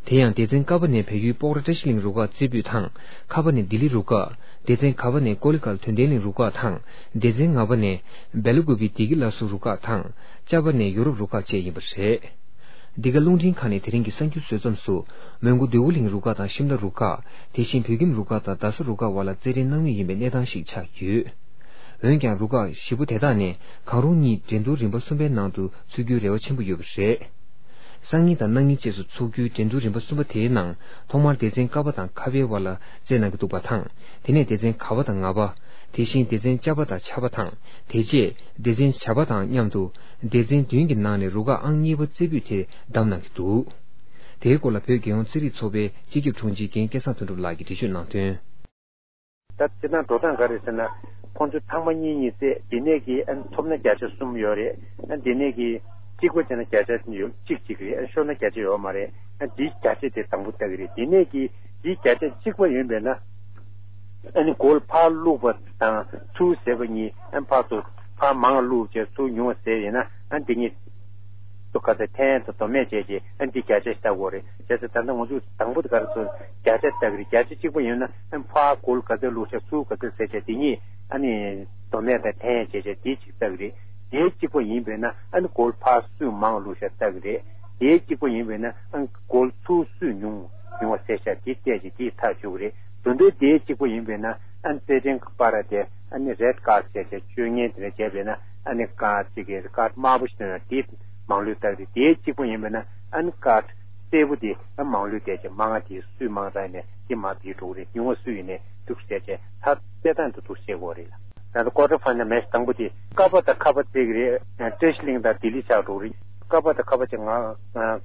དེ་ཡང་སྡེ་ཚན་ཀ་པ་ནས་བལ་ཡུལ་སྤོག་ར་བཀྲ་ཤིས་གླིང་རུ་ཁག་རྩེ་ཕུད་དང་། ཁ་པ་ནས་ལྡི་ལི་རུ་ཁག། སྡེ་ཚན་གྷ་པ་ནས་ཀོ་ལི་གྷལ་དོན་ལྡན་གླིང་རུ་ཁག་དང་། སྡེ་ཚན་ང་པ་ནས་སྦེ་ལ་ཀུ་པི་བདེ་སྐྱིད་བླ་སྲོག་རུ་ཁག་དང་། ཅ་པ་ནས་ཡོ་རོབ་རུ་ཁག་བཅས་ཡིན་པ་རེད། འདི་ག་རླུང་འཕྲིན་ཁང་ནས་དེ་རིང་གི་གསར་འགྱུར་བཟོ་མཚམས་སུ། མོན་གྷོ་འདོད་རྒུ་གླིང་རུ་ཁག་དང་ཤིམ་ལ་རུ་ཁག། དེ་བཞིན་བོད་ཁྱིམ་རུ་ཁག་དང་རྡ་ས་རུ་ཁག་དབར་ལ་རྩེད་འགྲན་གནང་མུས་ཡིན་པའི་གནས་སྟངས་ཤིག་ཆགས་ཡོད། འོན་ཀྱང་རུ་ཁག་བཞི་པོ་དེ་དག་ནས་གང་རུང་གཉིས་འགྲན་བསྡུར་རིམ་པ་གསུམ་པའི་ནང་དུ་ཚུད་རྒྱུའི་རེ་བ་ཆེན་པོ་ཡོད་པ་རེད། སང་ཉིན་དང་གནངས་ཉིན་བཅས་སུ་འཚོགས་རྒྱུའི་འགྲན་བསྡུར་རིམ་པ་གསུམ་པ་དེའི་ནང་ཐོག་མར་སྡེ་ཚན་ཀ་པ་དང་ཁ་པའི་དབར་ལ་རྩེད་གནང་གི་འདུག་པ་དང་། དེ་ནས་སྡེ་ཚན་ག་པ་དང་ང་པ། དེ་བཞིན་སྡེ་ཚན་ཅ་པ་དང་ཆ་པ་དང་། དེ་རྗེས་སྡེ་ཚན་བྱ་པ་དང་མཉམ་དུ་སྡེ་ཚན་བདུན་གྱི་ནང་ནས་རུ་ཁག་ཨང་གཉིས་པ་རྩེ་ཕུད་དེ་བདམས་གནང་གི་འདུག། དེའི་སྐོར་ལ་བོད་རྒྱལ་ཡོངས་ཚན་རིག་ཚོགས་པའི་སྤྱི་ཁྱབ་དྲུང་ཆེ་རྒན་སྐལ་བཟང་དོན་གྲུབ་ལགས་ཀྱིས་འགྲེལ་བརྗོད་གནང་དོན། ད་སྤྱིར་བཏང་འགྲོ་སྟངས་ག་རེ་ཟེར་ན། ཁོང་ཚོས་ཐེངས་མ་གཉིས་གཉིས་བཙལ། དེ་ནས་ཀྱི་ཨ་ནི་ཐོབ་ན་བརྒྱ་ཆ་གསུམ་ཡོད་རེད། ཨ་དེ་ནས་ཀྱི་གཅིག་པ་བྱས་ན་བརྒྱ་ཆ་ཡོད་གཅིག་གཅིག་རེད། ཨ་ཤོར་ན་བརྒྱ་ཆ་ཡོད་མ་རེད། ཨ་འདིའི་བརྒྱ་ཆ་དེ་དང་པོ་ལྟ་གི་རེད། དེ་ནས་ཀྱི་འདིའི་བརྒྱ་ཆ་གཅིག་པ་ཡིན་པས་ན། ཨ་ནི་གོལ་ཕར་བླུགས་པ་དང་ཚུར་བཟེད་པ་གཉིས། ཨ་ཕར་ཚུར་ཕར་མང་བླུགས་བྱས་ཚུར་ཉུང་བ་བཟེད་ཡིན་ན། ཨ་འདི་གཉིས་ཚོ་ག་ཚད་འཐེན་དང་དོ་མེད་བྱས་རྗེས། ཨ་འདི་བརྒྱ་ཆ་ཞིག་ལྟ་དགོས་རེད། བྱས་ཙང་ད་ལྟ་ང་ཚོས་དང་པོ་དེ་ག་རེ་ཚོ་བརྒྱ་ཆ་ལྟ་གི་རེད། བརྒྱ་ཆ་གཅིག་པ་ཡིན་ན། ཨ་ཕར་གོལ་ག་ཚད་བླུགས་བྱས་ཚུར་ག་ཚད་བཟེད་བྱས། དེ་གཉིས་ཨ་ནི་དོ་མེད་དང་འཐེན་བྱས་བྱས་དེ་གཅིག་ལྟ་གི་རེད། དེའི་གཅིག་པ་ཡིན་པས་ན། ཨ་ནི་གོལ་ཕར་སུས་མང་བླུགས་བྱས་ལྟ་གི་རེད། དེའི་གཅིག་པ་ཡིན་པས་ན། ཨ་ནི་གོལ་ཚུར་སུས་ཉུང་ཉུང་བ་བཟེད་བྱས་དེ་བལྟས་བྱས་དེ་ཐག་གཅོད་གི་རེད། དོན་དུ་དེའི་གཅིག་པ་ཡིན་པས་ན། ཨ་ནི་རྩེད་འགྲན་གྱི་པར་དེ་ཨ་ནི་རེད་ཀར་བྱས་བྱས་སྤྱོད་ངན་དེ་འདྲ་བྱས་པས་ན། ཨ་ནི་ཀར་གཅིག་གི་ཀར་དམར་པོ་ཞིག་བཏོན་ན་དེ་མང་ལོས་བཏགས་རེད། དེའི་གཅིག་པ་ཡིན་པས་ན། ཨ་ནི་ཀར་སེར་པོ་དེ་ཨ་མང་ལོས་བཏགས་བྱས་མང་བ་དེ་སུས་མང་བཏགས་ནས་དེ་མར་བསྡུས་འགྲོ་གི་རེད། ཉུང་བ་སུ་ཡིན་ནས་འདུག་བྱས་བྱས་ད་རྩེད་སྟངས་དེ་འདུག་བྱེད་དགོས་རེད་ལ། ད་ལྟ་ཀོར་ཊར་ཕའི་ནལ་མེཆ་དང་པོ་དེ་ཀ་པ་དང་ཁ་པ་རྩེད་ཀྱི་རེད། བཀྲ་ཤིས་གླིང་དང་ལྡི་ལི་ཆགས་འགྲོ་གི་རེད། ཀ་པ་དང་ཁ་པ་བྱས། ང་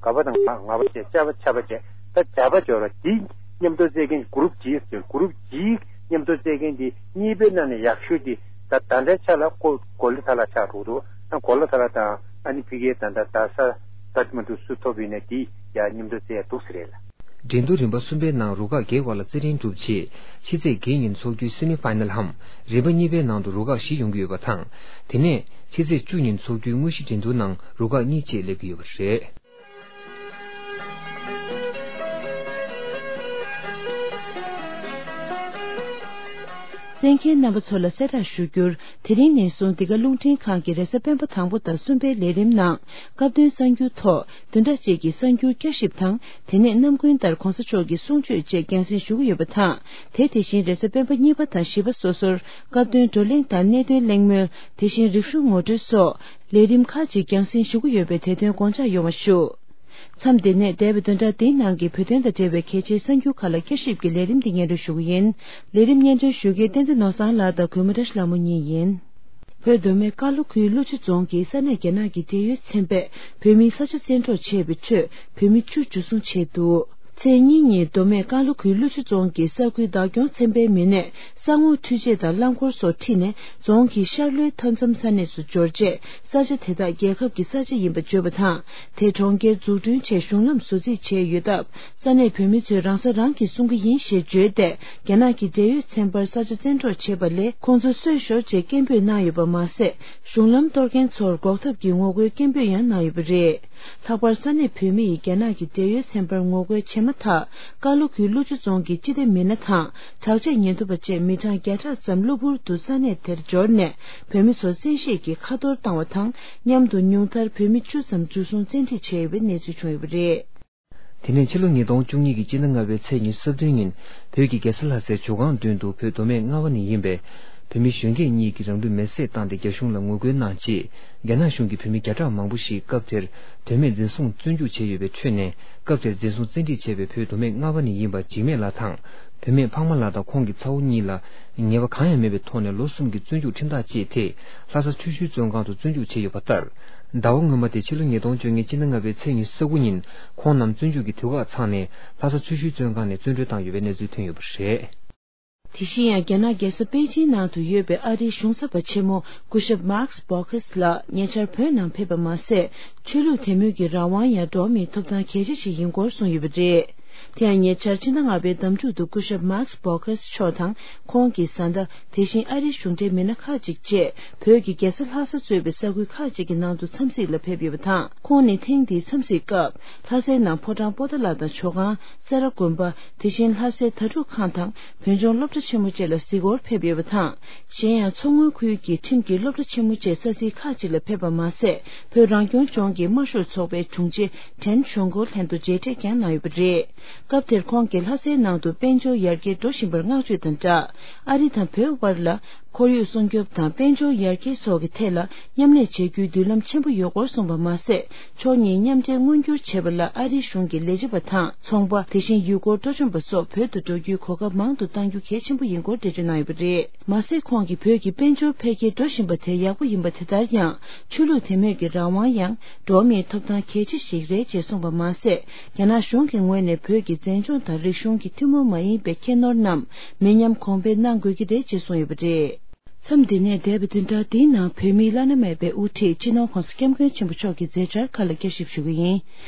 ག་པ་དང་ང་ང་པ་བྱས། ཅ་པ་ཆ་པ་བྱས། ད་ཇ་པ་འབྱོར་བ་དེ་མཉམ་དུ་རྩེད་མཁན་གུ་རུབ་ཇི་ཟེར། གུ་རུབ་ཇི་མཉམ་དུ་རྩེད་མཁན་དེ་གཉིས་པའི་ནང་ནས་ཡག་ཤོས་དེ་ད་ད་ལྟའི་ཆ་ལ་ཀོ་གོ་ལི་ཐ་ལ་ཆགས་འགྲོ་འདུག་ཨ་གོ་ལི་ཐ་ལ་དང་ཨ་ནི་ཕ་གིའི་ད་ལྟ་ད་ས་ཀ་ཐ་མན་ཌུ་སུ་ཐོབ་ཡིན་ན་དེ་ཡ་མཉམ་དུ་རྩེད་ཡ་འདུག་ཟེར་རེད་ལ། འགྲན་བསྡུར་རིམ་པ་གསུམ་པའི་ནང་རུ་ཁག་བརྒྱད་བར་ལ་རྩེད་འགྲན་གྲུབ་རྗེས། ཕྱི་ཚེས་བརྒྱད་ཉིན་འཚོགས་རྒྱུའི་སེ་མི་ཕའི་ནལ་འམ་རིམ་པ་གཉིས་པའི་ནང་དུ་རུ་ཁག་བཞི་ཡོང་གི་ཡོད་པ་དང་། དེ་ནས་ཕྱི་ཚེས་བཅུ་ཉིན་འཚོགས་རྒྱུའི་དངོས་གཞི་འགྲན་བསྡུར་ནང་རུ་ཁག་གཉིས་བཅས་སླེབས་ཀྱི་ཡོད་པ་རེད། གསན་མཁན་རྣམ་པ་ཚོ་ལ་གསལ་བསྒྲགས་ཞུ་རྒྱུར། དེ་རིང་ནས་བཟུང་འདི་ག་རླུང་འཕྲིན་ཁང་གི་རེས་གཟའ་སྤེན་པ་དང་པོ་དང་གསུམ་པའི་ལས་རིམ་ནང་སྐབས་དོན་གསར་འགྱུར་ཐོག་བདུན་ཕྲག་གཅིག་གི་གསར་འགྱུར་བསྐྱར་ཞིབ་དང་། དེ་ནས་ནམ་རྒྱུན་ལྟར་གོང་ས་མཆོག་གི་གསུང་ཆོས་བཅས་རྒྱང་སྲིང་ཞུ་གི་ཡོད་པ་དང་། དེ་དེ་བཞིན་རེས་གཟའ་སྤེན་པ་གཉིས་པ་དང་བཞི་པ་སོ་སོར་སྐབས་དོན་བགྲོ་གླེང་དང་གནད་དོན་གླེང་མོལ། དེ་བཞིན་རིག་གཞུང་ངོ་སྤྲོད་སོགས་ལས་རིམ་ཁག་ཅིག་རྒྱང་སྲིང་ཞུ་གི་ཡོད་པས་དེ་དོན་དགོངས་འཇགས་ཡོང་བ་ཞུ། མཚམས་འདི་ནས་འདས་པའི་བདུན་ཕྲག་འདིའི་ནང་གི་བོད་དོན་དང་འབྲེལ་བའི་གལ་ཆེའི་གསར་འགྱུར་ཁག་ལ་བསྐྱར་ཞིབ་ཀྱི་ལས་རིམ་འདི་སྙན་སྒྲོན་ཞུ་གི་ཡིན། ལས་རིམ་སྙན་སྒྲོན་ཞུ་མཁན་བསྟན་འཛིན་ནོར་བཟང་ལགས་དང་གུས་མོ་བཀྲ་ཤིས་ལྷ་མོ་གཉིས་ཡིན། བོད་མདོ་སྨད་ཀ་ལོ་ཁུལ་ཀླུ་ཆུ་རྫོང་གི་ས་གནས་རྒྱ་ནག་གི་འབྲེལ་ཡོད་ཚན་པས་བོད་མིའི་ས་ཆ་བཙན་འཕྲོག་བྱས་པའི་ཁྲོད་བོད་མི་བཅུ་འཇུ་བཟུང་བྱས་འདུག་ཚེས་གཉིས་ཉིན་མདོ་སྨད་ཀ་ལོ་ཁུལ་ཀླུ་ཆུ་རྫོང་གི་ས་ཁུལ་བདག་སྐྱོང་ཚན་པའི་མི་སྣས་ས་ངོས་འཕྲུལ་ཆས་དང་རླངས་འཁོར་སོགས་ཁྲིད་ནས་རྫོང་གི་ཤར་ལྷོའི་མཐའ་མཚམས་ས་གནས་སུ་འབྱོར་རྗེས། ས་ཆ་དེ་དག་རྒྱལ་ཁབ་ཀྱི་ས་ཆ་ཡིན་པ་བརྗོད་པ་དང་། དེ་གྲོང་ཁྱེར་འཛུགས་སྐྲུན་ཆེད་གཞུང་ལམ་བཟོ་རྩིས་བྱས་ཡོད་སྟབས། ས་གནས་བོད་མི་ཚོས་རང་ས་རང་གིས་སྲུང་གི་ཡིན་ཞེས་བརྗོད་དེ། རྒྱ་ནག་གི་འབྲེལ་ཡོད་ཚན་པར་ས་ཆ་བཙན་འཕྲོག་བྱས་པ་ལས་ཁོང་ཚོ་གསོད་ཤོག་ཅེས་སྐད་འབོད་གནང་ཡོད་པ་མ་ཟད། གཞུང་ལམ་གཏོར་མཁན་ཚོར་འགོག་ཐབས་ཀྱི་ངོ་རྒོལ་སྐད་འབོད་ཡང་གནང་ཡོད་པ་རེད། ལྷག་པར་ས་གནས་བོད་མི་ཡིས་རྒྱ་ནག་གི་འབྲེལ་ཡོད་ཚན་པར་ངོ་རྒོལ་བྱས་མ་ཐག་ཀ་ལོ་ཁུལ་ཀླུ་ཆུ་རྫོང་གི་སྤྱི་བདེ་མི་སྣ་དང་དྲག་ཆས་ཉེན་རྟོག་པ་བཅས་མི་གྲངས་བརྒྱ་ཕྲག་ཙམ་གློ་བུར་དུ་ས་གནས་དེར་འབྱོར་ནས་བོད་མི་ཚོ་བཙན་ཤེད་ཀྱིས་ཁ་གཏོར་བཏང་བ་དང་། མཉམ་དུ་ཉུང་མཐར་བོད་མི་བཅུ་ཙམ་འཇུ་བཟུང་བཙན་ཁྲིད་བྱས་ཡོད་པའི་གནས་ཚུལ་བྱུང་ཡོད་པ་རེད། དེ་ནས་ཕྱི་ལོ་ཉིས་སྟོང་བཅུ་གཉིས་ཀྱི་སྤྱི་ཟླ་ལྔ་པའི་ཚེས་ཉི་ཤུ་རྩ་བདུན་ཉིན་བོད་ཀྱི་རྒྱལ་ས་ལྷ་སའི་ཇོ་ཁང་མདུན་དུ་བོད་མདོ་སྨད་རྔ་བ་ནས་ཡིན་པའི་བོད་མི་གཞོན་སྐྱེས་གཉིས་ཀྱིས་རང་ལུས་མེར་སྲེག་བཏང་སྟེ་རྒྱ་གཞུང་ལ་ངོ་རྒོལ་གནང་རྗེས། རྒྱ་ནག་གཞུང་གིས་བོད་མི་བརྒྱ་ཕྲག་མང་པོ་ཞིག་སྐབས་དེར་དོན་མེད་འཛིན་བཟུང་བཙོན་འཇུག་བྱས་ཡོད་པའི་ཁྲོད་ནས། སྐབས་དེར་འཛིན་བཟུང་བཙན་ཁྲིད་བྱས་པའི་བོད་མདོ་སྨད་རྔ་བ་ནས་ཡིན་པ་འཇིགས་མེད་ལགས་དང་། བུད་མེད་འཕགས་མ་ལགས་དང་ཁོང་གི་ཚ་བོ་གཉིས་ལ་ཉེས་པ་གང་ཡང་མེད་པའི་ཐོག་ནས་ལོ་གསུམ་གྱི་བཙོན་འཇུག་ཁྲིམས་ཐག་བཅད་དེ། ལྷ་ས་ཆུ་ཤུལ་བཙོན་ཁང་དུ་བཙོན་འཇུག་བྱས་ཡོད་པ་ལྟར། ཟླ་བ་སྔོན་མ་དེ་ཕྱི་ལོ་ཉིས་སྟོང་བཅོ་ལྔའི་སྤྱི་ཟླ་ལྔ་པའི་ཚེས་ཉི་ཤུ་རྩ་དགུ་ཉིན་ཁོང་རྣམས་བཙོན་འཇུག་གི་དུས་བཀག་ཚང་ནས་ལྷ་ས་ཆུ་ཤུལ་བཙོན་ཁང་ནས་བཙོན་གྲོལ་བཏང་ཡོད་པའི་གནས་ཚུལ་ཐོན་ཡོད་པ་རེད། དེ་བཞིན་ཡང་རྒྱ་ནག་རྒྱལ་ས་པེ་ཅིན་ནང་དུ་ཡོད་པའི་ཨ་རིའི་གཞུང་ཚབ་པ་ཆེན་མོ་སྐུ་ཞབས་Max Baucus ལགས་ཉེ་ཆར་བོད་ནང་ཕེབས་པ་མ་ཟད། ཆོས་ལུགས་དད་མོས་ཀྱི་རང་དབང་ཡང་འགྲོ་བ་མིའི་ཐོབ་ཐང་གལ་ཆེ་ཞིག་ཡིན་སྐོར་གསུངས་ཡོད་པ་རེད། དེ་ཡང་ཉེ་ཆར་ཕྱི་ཟླ་ལྔ་པའི་ཟླ་མཇུག་ཏུ་སྐུ་ཞབས་Max Baucus མཆོག་དང་ཁོང་གི་བཟའ་ཟླ། དེ་བཞིན་ཨ་རིའི་གཞུང་འབྲེལ་མི་སྣ་ཁག་ཅིག་བཅས་བོད་ཀྱི་རྒྱལ་ས་ལྷ་ས་གཙོས་པའི་ས་ཁུལ་ཁག་ཅིག་གི་ནང་དུ་འཚམས་གཟིགས་ལ་ཕེབས་ཡོད་པ་དང་། ཁོང་ནི་ཐེངས་འདིའི་འཚམས་གཟིགས་སྐབས་ལྷ་སའི་ནང་ཕོ་བྲང་པོ་ཏཱ་ལ་དང་ཇོ་ཁང་། སེ་ར་དགོན་པ། དེ་བཞིན་ལྷ་སའི་དྭ་ཕྲུག་ཁང་དང་བོད་ལྗོངས་སློབ་གྲྭ་ཆེན་མོ་བཅས་ལ་གཟིགས་སྐོར་ཕེབས་ཡོད་པ་དང་། གཞན་ཡང་མཚོ་སྔོན་ཁུལ་གྱི་ཁྲིམས་ཀྱི་སློབ་གྲྭ་ཆེན་མོ་བཅས་ས་ཚིགས་ཁག་ཅིག་ལ་ཕེབས་པ་མ་ཟད། བོད་རང་སྐྱོང་ལྗོངས་ཀྱི་དམར་ཤོག་ཚོགས་པའི་དྲུང་ཆེ་ཁྲེན་ཆོན་ཀོ་ལྷན་དུ་མཇལ་འཕྲད་ཀྱང་གནང་ཡོད་པ་རེད། སྐབས་དེར་ཁོང་གིས་ལྷ་སའི་ནང་དུ་དཔལ་འབྱོར་ཡར་རྒྱས་འགྲོ་བཞིན་པར་བསྔགས་བརྗོད་དང་སྦྲགས། ཨ་རི་དང་བོད་དབར་ལ། ཁོར་ཡུག་སྲུང་སྐྱོབ་དང་དཔལ་འབྱོར་ཡར་རྒྱས་སོགས་ཀྱི་ཐད་ལ་མཉམ་ལས་བྱེད་རྒྱུའི་མདུན་ལམ་ཆེན་པོ་ཡོད་སྐོར་གསུངས་པ་མ་ཟད། ཕྱོགས་གཉིས་མཉམ་འབྲེལ་མངོན་འགྱུར་བྱེད་པ་ལ་ཨ་རིའི་གཞུང་གི་ལས་བྱེད་པ་དང་ཚོང་པ། དེ་བཞིན་ཡུལ་སྐོར་སྤྲོ་འཆམ་པ་སོགས་བོད་དུ་འགྲོ་རྒྱུའི་གོ་སྐབས་མང་དུ་གཏང་རྒྱུ་གལ་ཆེན་པོ་ཡིན་སྐོར་འགྲེལ་བརྗོད་གནང་ཡོད་པ་རེད། མ་ཟད། ཁོང་གིས་བོད་ཀྱི་དཔལ་འབྱོར་འཕེལ་རྒྱས་འགྲོ་བཞིན་པ་དེ་ཡག་པོ་ཡིན་པ་དེ་ལྟར་ཡང་། ཆོས་ལུགས་དད་མོས་ཀྱི་རང་དབང་ཡང་འགྲོ་བ་མིའི་ཐོབ་ཐང་གལ་ཆེ་ཞིག་རེད་ཅེས་གསུངས་པ་མ་ཟད། རྒྱ་ནག་གཞུང་གི་ངོས་ནས་བོད་ཀྱི་མཛེས་ལྗོངས་དང་རིག་གཞུང་གི་ཐུན་མོང་མ་ཡིན་པའི་ཁྱད་ནོར་རྣམས་མི་ཉམས་གོང་འཕེལ་གནང་དགོས་ཀྱི་རེད་ཅེས་གསུངས་ཡོད་པ་རེད། མཚམས་འདི་ནས་འདས་པའི་བདུན་ཕྲག་འདིའི་ནང་བོད་མིའི་བླ་ན་མེད་པའི་དབུ་ཁྲིད་སྤྱི་ནོར་༧གོང་ས་༧སྐྱབས་མགོན་ཆེན་པོ་མཆོག་གི་མཛད་འཆར་ཁག་ལ་བསྐྱར་ཞིབ་ཞུ་གི་ཡིན།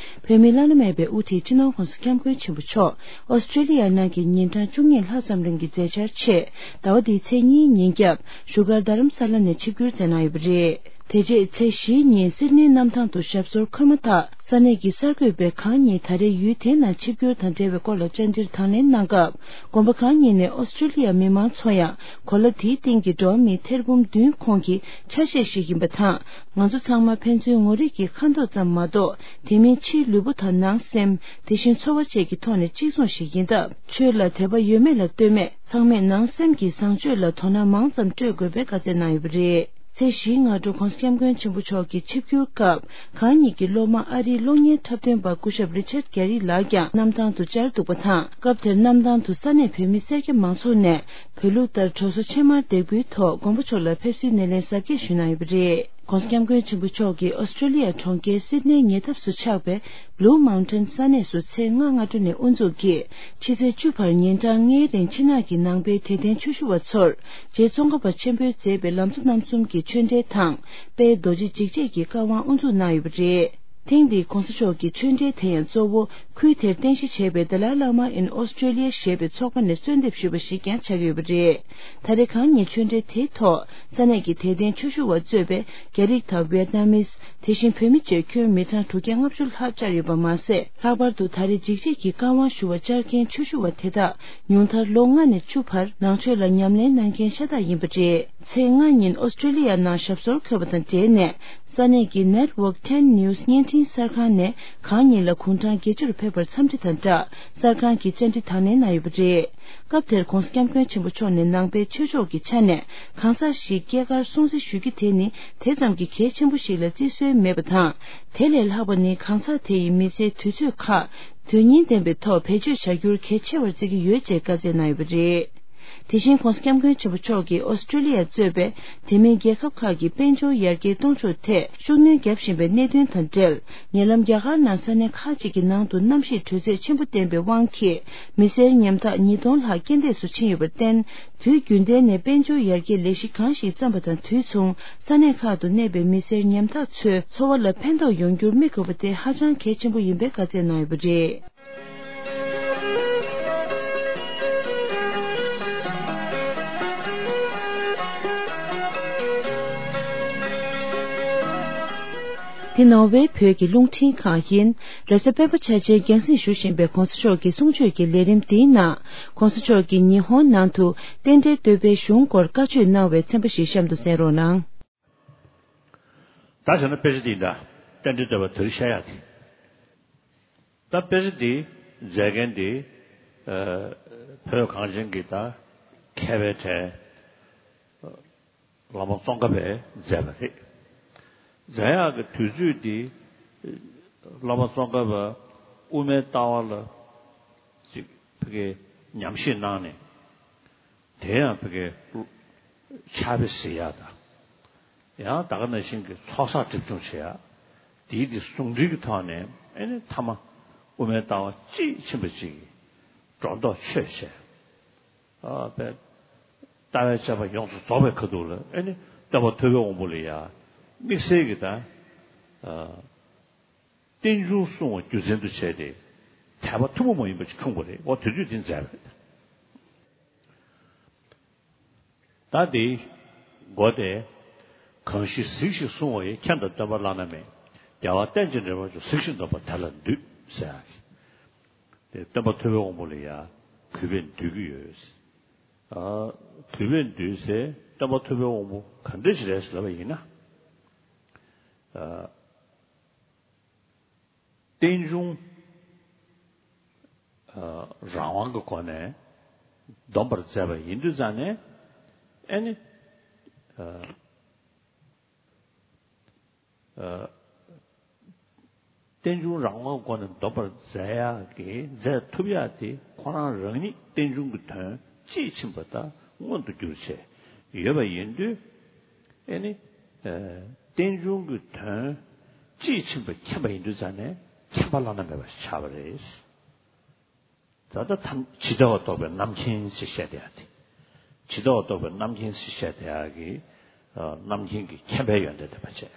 བོད་མིའི་བླ་ན་མེད་པའི་དབུ་ཁྲིད་སྤྱི་ནོར་༧གོང་ས་༧སྐྱབས་མགོན་ཆེན་པོ་མཆོག་ཨོ་སི་ཀྲེ་ལི་ཡ་ནང་གི་ཉིན་གྲངས་བཅུ་གཉིས་ལྷག་ཙམ་རིང་གི་མཛད་འཆར་ཆེད། ཟླ་བ་འདིའི་ཚེས་གཉིས་ཉིན་རྒྱབ་བཞུགས་སྒར་རྡ་རམ་ས་ལ་ནས་ཆིབས་བསྒྱུར་མཛད་གནང་ཡོད་པ་རེད། དེ་རྗེས་ཚེས་བཞིའི་ཉིན་སིད་ནིའི་གནམ་ཐང་དུ་ཞབས་སོར་འཁོད་མ་ཐག་ས་གནས་ཀྱི་གསར་འགོད་པས་གང་ཉིད་ད་རེས་ཡུལ་དེའི་ནང་ཆིབས་བསྒྱུར་དང་འབྲེལ་བའི་སྐོར་ལ་བཅར་འདྲིར་དང་ལེན་གནང་སྐབས། དགོན་པ་གང་ཉིད་ནས་ཨོ་སི་ཀྲེ་ལི་ཡ་མི་མང་ཚོ་ཡང་གོ་ལ་དེའི་སྟེང་གི་འགྲོ་བ་མིའི་ཐེར་འབུམ་བདུན་ཁོངས་ཀྱི་ཆ་ཤས་ཤིག་ཡིན་པ་དང་། ང་ཚོ་ཚང་མ་ཕན་ཚུན་ངོ་རིག་གི་ཁ་མདོག་ཙམ་མ་གཏོགས། དེ་མིན་ཕྱིའི་ལུས་པོ་དང་ནང་སེམས། དེ་བཞིན་འཚོ་བ་བཅས་ཀྱི་ཐོག་ནས་གཅིག་མཚུངས་ཤིག་ཡིན་སྟབས། ཆོས་ལ་དད་པ་ཡོད་མེད་ལ་ལྟོས་མེད། ཚང་མས་ནང་སེམས་ཀྱི་བཟང་སྤྱོད་ལ་དོ་སྣང་མང་ཙམ་སྤྲོད་དགོས་པའི་བཀའ་སྩལ་གནང་ཡོད་པ་རེད། ཚེས་བཞིའི་སྔ་དྲོ་༧གོང་ས་༧སྐྱབས་མགོན་ཆེན་པོ་མཆོག་གི་ཆིབས་བསྒྱུར་སྐབས། གང་ཉིད་ཀྱི་སློབ་མ་ཨ་རིའི་གློག་བརྙན་འཁྲབ་སྟོན་པ་སྐུ་ཞབས་རི་ཆར་གྷེ་རི་ལགས་ཀྱང་གནམ་ཐང་དུ་བཅར་འདུག་པ་དང་། སྐབས་དེར་གནམ་ཐང་དུ་ས་གནས་བོད་མི་སེར་སྐྱ་མང་ཚོགས་ནས་བོད་ལུགས་ལྟར་གྲོ་སོ་ཕྱེ་མར་འདེགས་འབུལ་ཐོག་མགོན་པོ་མཆོག་ལ་ཕེབས་བསུའི་སྣེ་ལེན་གཟབ་རྒྱས་ཞུས་གནང་ཡོད་པ་རེད། ༸གོང་ས་༸སྐྱབས་མགོན་ཆེན་པོ་མཆོག་གིས་ཨོ་སི་ཀྲེ་ལི་ཡ་གྲོང་ཁྱེར་སིད་ནེའི་ཉེ་འདབས་སུ་ཆགས་པའི་Blue Mountain ས་གནས་སུ་ཚེས་ལྔ་སྔ་དྲོ་ནས་དབུ་འཛུགས་ཀྱིས་ཕྱི་ཚེས་བཅུ་བར་ཉིན་གྲངས་ལྔའི་རིང་ཕྱི་ནང་གི་ནང་པའི་དད་ལྡན་ཆོས་ཞུ་བ་ཚོར་རྗེ་ཙོང་ཁ་པ་ཆེན་པོས་མཛད་པའི་ལམ་གཙོ་རྣམ་གསུམ་གྱི་ཆོས་འབྲེལ་དང་དཔལ་རྡོ་རྗེ་འཇིགས་བྱེད་ཀྱི་བཀའ་དབང་དབུ་འཛུགས་གནང་ཡོད་པ་རེད། ཐེངས་འདིའི་གོང་ས་མཆོག་གི་ཆོས་འབྲེལ་དེ་ཡང་གཙོ་བོ་ཁུལ་དེར་རྟེན་གཞི་བྱས་པའི་The Dalai Lama in Australia ཞེས་པའི་ཚོགས་པ་ནས་གསོལ་འདེབས་ཞུས་པ་ཞིག་ཀྱང་ཆགས་ཀྱི་ཡོད་པ་རེད། ད་རེས་གང་ཉིད་ཆོས་འབྲེལ་དེའི་ཐོག་ས་གནས་ཀྱི་དད་ལྡན་ཆོས་ཞུ་བ་གཙོས་པའི་རྒྱ་རིགས་དང་ཝེད་ནམ་མིས། དེ་བཞིན་བོད་མི་བཅས་ཁྱོན་མི་གྲངས་དྲུག་བརྒྱ་ལྔ་བཅུ་ལྷག་བཅར་ཡོད་པ་མ་ཟད། ལྷག་པར་དུ་ད་རེས་འཇིགས་བྱེད་ཀྱི་བཀའ་དབང་ཞུ་བར་བཅར་མཁན་ཆོས་ཞུ་བ་དེ་དག་ཉུང་མཐར་ལོ་ལྔ་ནས་བཅུ་བར་ནང་ཆོས་ལ་ཉམས་ལེན་གནང་མཁན་ཤ་སྟག་ཡིན་པ་རེད། ཚེས་ལྔ་ཉིན་ཨོ་སི་ཀྲེ་ལི་ཡ་ནང་ཞབས་སོར་འཁོད་པ་དང་འབྲེལ་ནས། ས་གནས་ཀྱི་Network ten News བརྙན་འཕྲིན་གསར་ཁང་ནས་གང་ཉིད་ལ་དགུང་གྲངས་བརྒྱད་ཅུར་ཕེབས་པར་འཚམས་འདྲི་དང་སྦྲགས། གསར་ཁང་གི་བཅར་འདྲི་དང་ལེན་གནང་ཡོད་པ་རེད། སྐབས་དེར་༸གོང་ས་༸སྐྱབས་མགོན་ཆེན་པོ་མཆོག་ནས་ནང་པའི་ཆོས་ཕྱོགས་ཀྱི་ཆ་ནས་གང་ཟག་ཞིག་སྐྱེས་སྐར་སྲུང་བརྩི་ཞུ་རྒྱུ་དེ་ནི་དེ་ཙམ་གྱི་གལ་ཆེན་པོ་ཞིག་ལ་བརྩི་སྲོལ་མེད་པ་དང་། དེ་ལས་ལྷག་པ་ནི་གང་ཟག་དེ་ཡི་མི་ཚེའི་དུས་ཚོད་ཁག་དོན་སྙིང་ལྡན་པའི་ཐོག་བེད་སྤྱོད་བྱ་རྒྱུར་གལ་ཆེ་བར་བརྩི་གི་ཡོད་ཅེས་བཀའ་སྩལ་གནང་ཡོད་པ་རེད། དེ་བཞིན་༸གོང་ས་༸སྐྱབས་མགོན་ཆེན་པོ་མཆོག་གིས་ཨོ་སི་ཀྲེ་ལི་ཡ་གཙོས་པའི་དེ་མིན་རྒྱལ་ཁབ་ཁག་གི་དཔལ་འབྱོར་ཡར་རྒྱས་གཏོང་ཕྱོགས་ཐད་ཤུགས་སྣོན་བརྒྱབ་བཞིན་པའི་གནད་དོན་དང་འབྲེལ། ཉེ་ལམ་རྒྱ་གར་ནང་ས་གནས་ཁག་ཅིག་གི་ནང་དུ་གནམ་གཤིས་དྲོད་ཚད་ཆེན་པོ་བསྟན་པའི་དབང་གིས་མི་སེར་ཉམ་ཐག་ཉིས་སྟོང་ལྷག་རྐྱེན་འདས་སུ་ཕྱིན་ཡོད་པར་བརྟེན། དུས་རྒྱུན་ལྡན་ནས་དཔལ་འབྱོར་ཡར་རྒྱས་ལས་གཞི་གང་ཞིག་བརྩམས་པ་དང་དུས་མཚུངས་ས་གནས་ཁག་ཏུ་གནས་པའི་མི་སེར་ཉམ་ཐག་ཚོའི་འཚོ་བ་ལ་ཕན་ཐོགས་ཡོང་རྒྱུར་དམིགས་དགོས་པ་དེ་ཧ་ཅང་གལ་ཆེན་པོ་ཡིན་པའི་བཀའ་སྩལ་གནང་ཡོད་པ་རེད། འདི་ནོར་ཝེ་བོད་ཀྱི་རླུང་འཕྲིན་ཁང་ཡིན། རེས་གཟའ་སྤེན་པ་འཆར་ཅན་རྒྱང་སྲིང་ཞུ་བཞིན་པའི་༸གོང་ས་མཆོག་གི་གསུང་ཆོས་ཀྱི་ལས་རིམ་འདིའི་ནང་། ༸གོང་ས་མཆོག་གིས་ཉི་ཧོང་ནང་དུ་རྟེན་འབྲེལ་བསྟོད་པའི་གཞུང་སྐོར་བཀའ་ཆོས་གནང་བའི་ཚན་པ་ཞིག་གཤམ་དུ་གསན་རོགས་གནང་། ད་བྱས་ན་དཔེ་ཆ་འདི་འདྲ། རྟེན་འབྲེལ་བསྟོད་པ་དེ་རིང་བཤད་ཡག་དེ། ད་དཔེ་ཆ་འདི་མཛད་མཁན་འདི། ཨ། བོད་གངས་ཅན་གྱི་ད་མཁས་པའི་གྲས། བླ་མ་ཙོང་ཁ་པས་མཛད་པ་རེད། མཛད་ཡག་གི་དུས་ཚོད་འདི། བླ་མ་ཙོང་ཁ་པ་དབུ་མའི་ལྟ་བ་ལ་ཅིག་ཕ་གིའི་ཉམས་ཞིབ་གནང་ནས། དེ་ཡང་ཕ་གིའི་ཕྱག་དཔེ་གཟིགས་ཡག་དང་། ཡང་ད་ག་ནང་བཞིན་གྱི་ཚོགས་བསགས་སྒྲིབ་སྦྱོང་བྱེད་ཡག་དེའི་དེ་ཟུང་འབྲེལ་གྱི་ཐོག་ནས་ཨེ་ནི་ཐ་མ་དབུ་མའི་ལྟ་བ་དཔྱིས་ཕྱིན་པ་ཅིག་གི་སྒྲོ་འདོགས་ཆོད་བྱས། ཨ་པའི་ལྟ་བའི་དཔྱད་པ་ཡོངས་སུ་རྫོགས་པའི་ཁ་ཐུག་ལ་ཨེ་ནི་སྟོན་པ་ཐུབ་པའི་དབང་པོ་ལ་ཡ་དམིགས་བསལ་གྱི་ད་ཨ་རྟེན་འབྱུང་སྲུང་བ་རྒྱུ་མཚན་དུ་བྱས་ཏེ་དད་པ་ཐུན་མོང་མ་ཡིན་པ་ཞིག་འཁྲུངས་པ་རེད། འོ་དེ་དུས་དེ་མཛད་པ་རེད། ད་དེའི་མགོ་དེ། གང་ཞིག་གཟིགས་ཤིང་བསྲུང་བ་ཡི། མཁྱེན་དང་སྟོན་པ་བླ་ན་མེད། རྒྱལ་བ་རྟེན་ཅིང་འབྲེལ་བར་འབྱུང་། གཟིགས་ཤིང་སྡོམ་པ་དེ་ལ་འདུད་ཟེར་ཡག་གི། དེ་སྟོན་པ་ཐུབ་པའི་དབང་པོ་ལ་ཡང་གུས་པས་འདུད་ཀྱི་ཡོད། ཨ། གུས་པས་འདུད་ཟེར་སྟོན་པ་ཐུབ་པའི་དབང་པོ་ག་འདྲ་ཞིག་རེད་ཟེར་ལབ་པ་ཡིན་ན། ཨ། རྟེན་འབྱུང་། ཨ། རང་དབང་གི་སྒོ་ནས་སྡོམ་པར་མཛད་པ་ཡིན་དུས་ཙང་ནས། ཨེ་ནི། རྟེན་འབྱུང་རང་དབང་སྒོ་ནས་འདོམས་པར་མཛད་ཡག་གི་མཛད་ཐུབ་ཡག་དེ་ཁོ་རང་རང་ཉིད་རྟེན་འབྱུང་གི་དོན་དཔྱིས་ཕྱིན་པ་དང་མངོན་དུ་གྱུར་བྱས་ཡོད་པ་ཡིན་དུས། ཨེ་ནི། རྟེན་འབྱུང་གི་དོན་དཔྱིས་ཕྱིན་པ་མཁྱེན་པ་ཡིན་དུས་ཙང་ནས་མཁྱེན་པ་བླ་ན་མེད་པ་ཞིག་ཆགས་པ་རེད། ད་ལྟ་ཐམས་ཇི་ལྟ་བ་རྟོགས་པའི་རྣམ་མཁྱེན་ཞེས་བཤད་བསྡད་ཡ་དེ། ཇི་ལྟ་བ་རྟོགས་པའི་རྣམ་མཁྱེན་ཞེས་བཤད་བསྡད་ཡ་གི། རྣམ་མཁྱེན་གྱི་མཁྱེན་པའི་ཡོན་ཏན་ལྡན་པ་བྱས།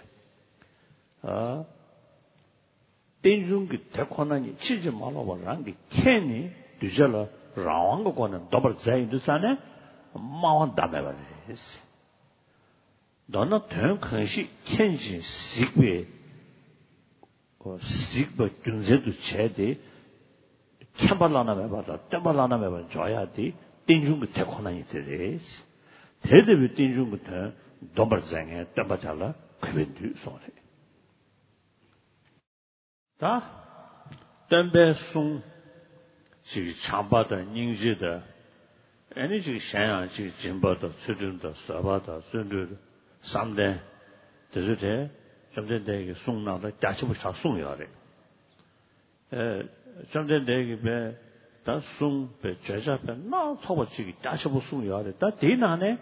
རྟེན་འབྱུང་གི་དེ་ཁོ་ན་ཉིད་ཕྱིན་ཅི་མ་ལོག་པ་རང་གིས་མཁྱེན་ནས་གདུལ་བྱ་ལ་རང་དབང་གི་སྒོ་ནས་འདོམས་པར་མཛད་ཡིན་དུས་ཙང་ནས་སྨྲ་བ་ཟླ་མེད་པ་རེད། མདོར་ན་དོན་གང་ཞིག་མཁྱེན་ཅིང་གཟིགས་པའི། གཟིགས་པ་རྒྱུ་མཚན་དུ་བྱས་ཏེ། མཁྱེན་པ་བླ་ན་མེད་པ་དང་སྟོན་པ་བླ་ན་མེད་པར་འཇོག་ཡག་དེ་རྟེན་འབྱུང་གི་དེ་ཁོ་ན་ཉིད་དེ་རེད། དེ་ལྟ་བུའི་རྟེན་འབྱུང་གི་དོན་འདོམས་པར་མཛད་མཁན་སྟོན་པ་དེ་ལ་གུས་པས་འདུད་གསུངས་རེད། ད། སྟོན་པའི་གསུང་། ཅིག་བྱམས་པ་དང་སྙིང་རྗེ་དང་། ཨེ་ནི་ཅིག་གཞན་ཡང་ཅིག་སྦྱིན་པ་དང་ཚུལ་ཁྲིམས་དང་བཟོད་པ་དང་བརྩོན་འགྲུས་དང་བསམ་གཏན། དེ་ཚོ་དེ་བཅོམ་ལྡན་འདས་ཀྱིས་གསུང་གནང་སྟངས་རྒྱ་ཆེན་པོ་ཞིག་གསུངས་ཡོད་རེད། ཨེ། བཅོམ་ལྡན་འདས་ཀྱིས་པའི་ད་གསུང་པའི་བརྗོད་བྱ་པའི་སྣ་ཚོགས་པ་ཅིག་གིས་རྒྱ་ཆེན་པོ་གསུངས་ཡོད་རེད། ད་དེའི་ནང་ནས་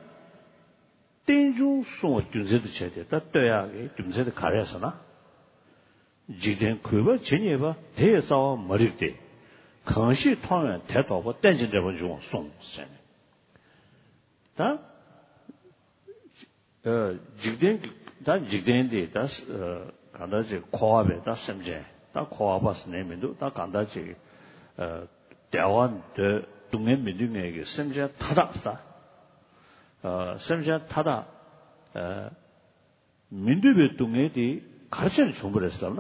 རྟེན་འབྱུང་གསུང་བ་རྒྱུ་མཚན་དུ་བྱས་ཏེ་ད་ལྟོས་ཡག་གི་རྒྱུ་མཚན་དེ་ག་རེ་རེད་ཟེར་ན། འཇིག་རྟེན་གུས་པ་ཇི་སྙེད་པ། དེ་ཡི་རྩ་བ་མ་རིག་སྟེ། གང་ཞིག་མཐོང་བས་དེ་རྟོགས་པ། རྟེན་ཅིང་འབྲེལ་པར་འབྱུང་བ་གསུངས་ཟེར་ནས། ད། འཇིག་རྟེན་གྱི་ད་འཇིག་རྟེན་འདི་ད་གང་ལྟར་ཅིག་འཁོར་བ་པའི་ད་སེམས་ཅན་ད་འཁོར་བ་པ་ཟེར་ནས་མི་འདུག་ད་གང་ལྟར་ཅིག་བདེ་བ་འདོད་སྡུག་བསྔལ་མི་འདོད་མཁན་གྱི་སེམས་ཅན་མཐའ་དག་ད་སེམས་ཅན་མཐའ་དག་མི་འདོད་པའི་སྡུག་བསྔལ་དེ་ག་རེ་བྱས་ནས་བྱུང་བ་རེད་ཟེར་ན།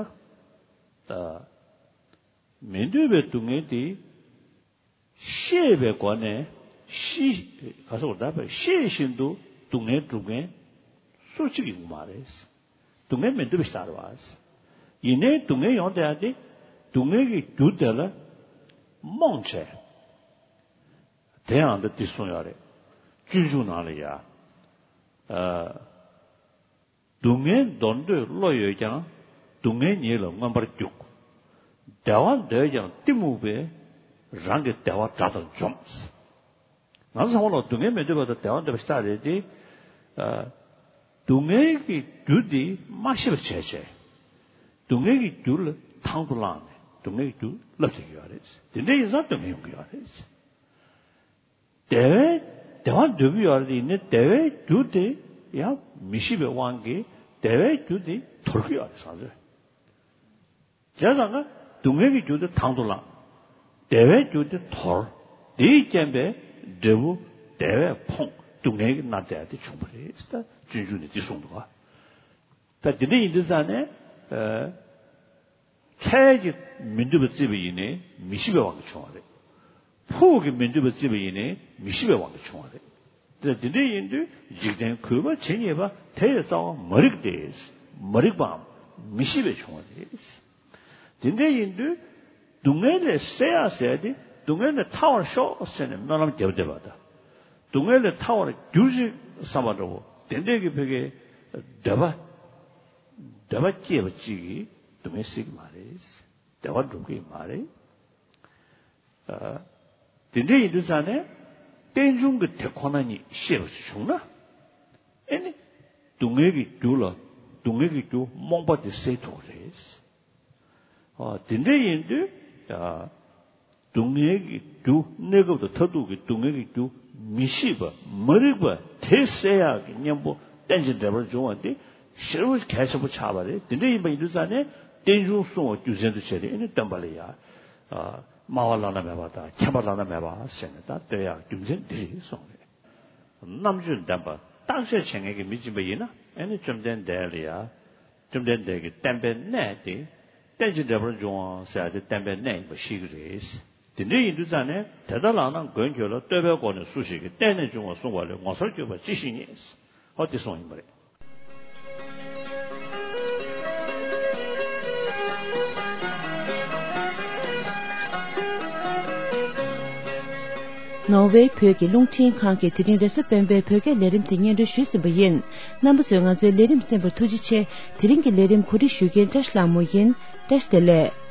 མི་འདོད་པའི་སྡུག་བསྔལ་དེ། ཤེས་པའི་སྒོ་ནས་ཤི། ག་སོགས་ད་བས་ཤེས་བཞིན་དུ་སྡུག་བསྔལ་སྒྲུབ་མཁན་སུ་གཅིག་ཡོང་མ་རེད། སྡུག་བསྔལ་མི་འདོད་པ་ཞིག་ལྟར་བ། ཡིན་ནའི་སྡུག་བསྔལ་ཡོང་བསྡད་ཡ་དེ་སྡུག་བསྔལ་གྱི་རྒྱུ་དེ་ལ་རྨོངས་བྱས། དེ་ཡང་ད་འདི་གསུངས་ཡོད་རེད། སྤྱོད་འཇུག་ནང་ལ་ཡ། སྡུག་བསྔལ་འདོར་འདོད་བློ་ཡོད་ཀྱང་། སྡུག་བསྔལ་ཉིད་ལ་མངོན་པར་རྒྱུག་བདེ་བ་འདོད་ཀྱང་གཏི་མུག་པས། རང་གི་བདེ་བ་དགྲ་ལྟར་འཇོམས། ང་ཚོ་ཚང་མ་ལ་སྡུག་བསྔལ་མི་འདོད་པ་དང་བདེ་བ་འདོད་པ་ཞིག་ལྟ་རེད་དེ། སྡུག་བསྔལ་གྱི་རྒྱུ་འདི་མ་ཤེས་པར་བྱས་བྱས། སྡུག་བསྔལ་གྱི་རྒྱུ་ལ་དང་དུ་བླངས་ནས་སྡུག་བསྔལ་གྱི་རྒྱུ་བསླབ་བྱེད་ཀྱི་ཡོད་རེད། དེ་འདྲ་ཡིན་ཙང་སྡུག་བསྔལ་ཡོང་གི་ཡོད་རེད། བདེ་བའི་བདེ་བ་འདོད་ཀྱི་ཡོད་རེད་དེ་ཡིན་ནའི་བདེ་བའི་རྒྱུ་དེ་ཡང་མི་ཤེས་པའི་དབང་གིས་བདེ་བའི་རྒྱུ་དེ་དོར་གྱི་ཡོད་རེད་བསམ་ཚུལ། བྱས་ཙང་ཀ་སྡུག་བསྔལ་གྱི་རྒྱུ་དེ་དང་དུ་བླངས། བདེ་བའི་རྒྱུ་དེ་དོར། དེའི་རྐྱེན་པས་འབྲས་བུ་བདེ་བས་ཕོངས་སྡུག་བསྔལ་གྱིས་མནར་བསྡད་ཡ་དེ་བྱུང་བ་རེད། ད་སྤྱོད་འཇུག་ནས་འདི་གསུངས་འདུག་ག་ད་འདི་འདྲ་ཡིན་དུས་ཙང་ནས། འཕྲལ་གྱི་མི་འདོད་པ་བརྩིས་པ་ཡིན་ནའི་མི་ཤེས་པའི་དབང་གིས་བྱུང་བ་རེད། ཕུགས་ཀྱི་མི་འདོད་པ་བརྩིས་པ་ཡིན་ནའི་མི་ཤེས་པའི་དབང་གིས་བྱུང་བ་རེད། དེ་འདི་འདྲ་ཡིན་དུས་འཇིག་རྟེན་གུས་པ་ཇི་སྙེད་པ། དེ་ཡི་རྩ་བ་མ་རིག་སྟེ། མ་རིག་པའམ་མི་ཤེས་པས་བྱུང་བ་རེད། དེ་འདྲ་ཡིན་དུས་སྡུག་བསྔལ་ལས་སེལ་ཡག་ཟེར་ཏེ་སྡུག་བསྔལ་ལས་ཐར་བར་ཤོག་ཟེར་ནས་སྨོན་ལམ་རྒྱབ་བསྡད་པ་དང་། སྡུག་བསྔལ་ལས་ཐར་བར་གྱུར་ཅིག་བསམ་པ་འདྲ་བོ་དེ་འདྲས་ཀྱི་ཕ་གིའི་འདོད་པ། འདོད་པ་སྐྱེས་པ་གཅིག་གིས་སྡུག་བསྔལ་སེལ་གྱི་མ་རེད། བདེ་བ་འགྲུབ་ཀྱི་མ་རེད། ཨ། དེ་འདྲ་ཡིན་དུས་ཙང་ནས་རྟེན་འབྱུང་གི་དེ་ཁོ་ན་ཉིད་ཤེས་པ་ཞིག་བྱུང་ན། ཨེ་ནི། སྡུག་བསྔལ་གྱི་རྒྱུ་ལ་སྡུག་བསྔལ་གྱི་རྒྱུ་རྨོངས་པ་དེ་སེལ་ཐུབ་ཀྱི་རེད། ཨ། དེ་འདྲ་ཡིན་དུས། ཨ། སྡུག་བསྔལ་གྱི་རྒྱུ་གནས་སྐབས་དང་མཐར་ཐུག་གི་སྡུག་བསྔལ་གྱི་རྒྱུ་མི་ཤེས་པ་མ་རིག་པ་དེ་སེལ་ཡག་གི་གཉེན་པོ་རྟེན་ཅིང་འབྲེལ་པར་འབྱུང་བ་དེ་ཞེ་པོ་གལ་ཆེན་པོ་ཆགས་པ་རེད། དེ་འདྲ་ཡིན་པ་ཡིན་དུས་ཙང་ནས་རྟེན་འབྱུང་གསུང་བ་རྒྱུ་མཚན་དུ་བྱས་ཏེ་ཨེ་ནི་སྟོན་པ་ལ་ཡ། སྨྲ་བ་བླ་ན་མེད་པ་དང་མཁྱེན་པ་བླ་ན་མེད་པ་ཟེར་ནས་ད་བསྟོད་ཡག་རྒྱུ་མཚན་འདི་རེད་གསུངས་རེད། རྣམ་དཔྱོད་ལྡན་པ་བརྟག་དཔྱད་བྱེད་མཁན་གྱི་མི་ཅིག་ཡིན་པ་ཡིན་ན་ཨེ་ནི་བཅོམ་ལྡན་འདས་ལ་ཡ། བཅོམ་ལྡན་འདས་ཀྱི་བསྟན་པའི་གནས་དེ། རྟེན་ཅིང་འབྲེལ་པར་འབྱུང་བ་ཟེར་ཡ་དེ་བསྟན་པའི་གནས་ཡིན་པ་ཤེས་ཀྱི་རེད། དེ་འདྲ་ཡིན་དུས་ཙང་ནས་དེ་ལྟར་ལགས་ན་མགོན་ཁྱོད་ལ། བསྟོད་པའི་སྒོ་ནས་སུ་ཞིག་གིས། རྟེན་ནི་འབྱུང་བ་གསུངས་པ་ལས། ངོ་མཚར་གྱུར་པ་ཅི་ཞིག་རྙེད། ཨོ་དེ་གསུངས་ཡིན་པ་རེད། ནོར་ཝེ་བོད་ཀྱི་རླུང་འཕྲིན་ཁང་གིས་དེ་རིང་རེས་གཟའ་སྤེན་པའི་བོད་སྐད་ལས་རིམ་དེ་སྙན་སྒྲོན་ཞུས་ཟིན་པ་ཡིན། རྣམ་པ་ཚོས་ང་ཚོའི་ལས་རིམ་གསན་པར་ཐུགས་རྗེ་ཆེ། དེ་རིང་གི་ལས་རིམ་གོ་སྒྲིག་ཞུ་མཁན་བཀྲ་ཤིས་ལྷ་མོ་ཡིན། བཀྲ་ཤིས་བདེ་ལེགས།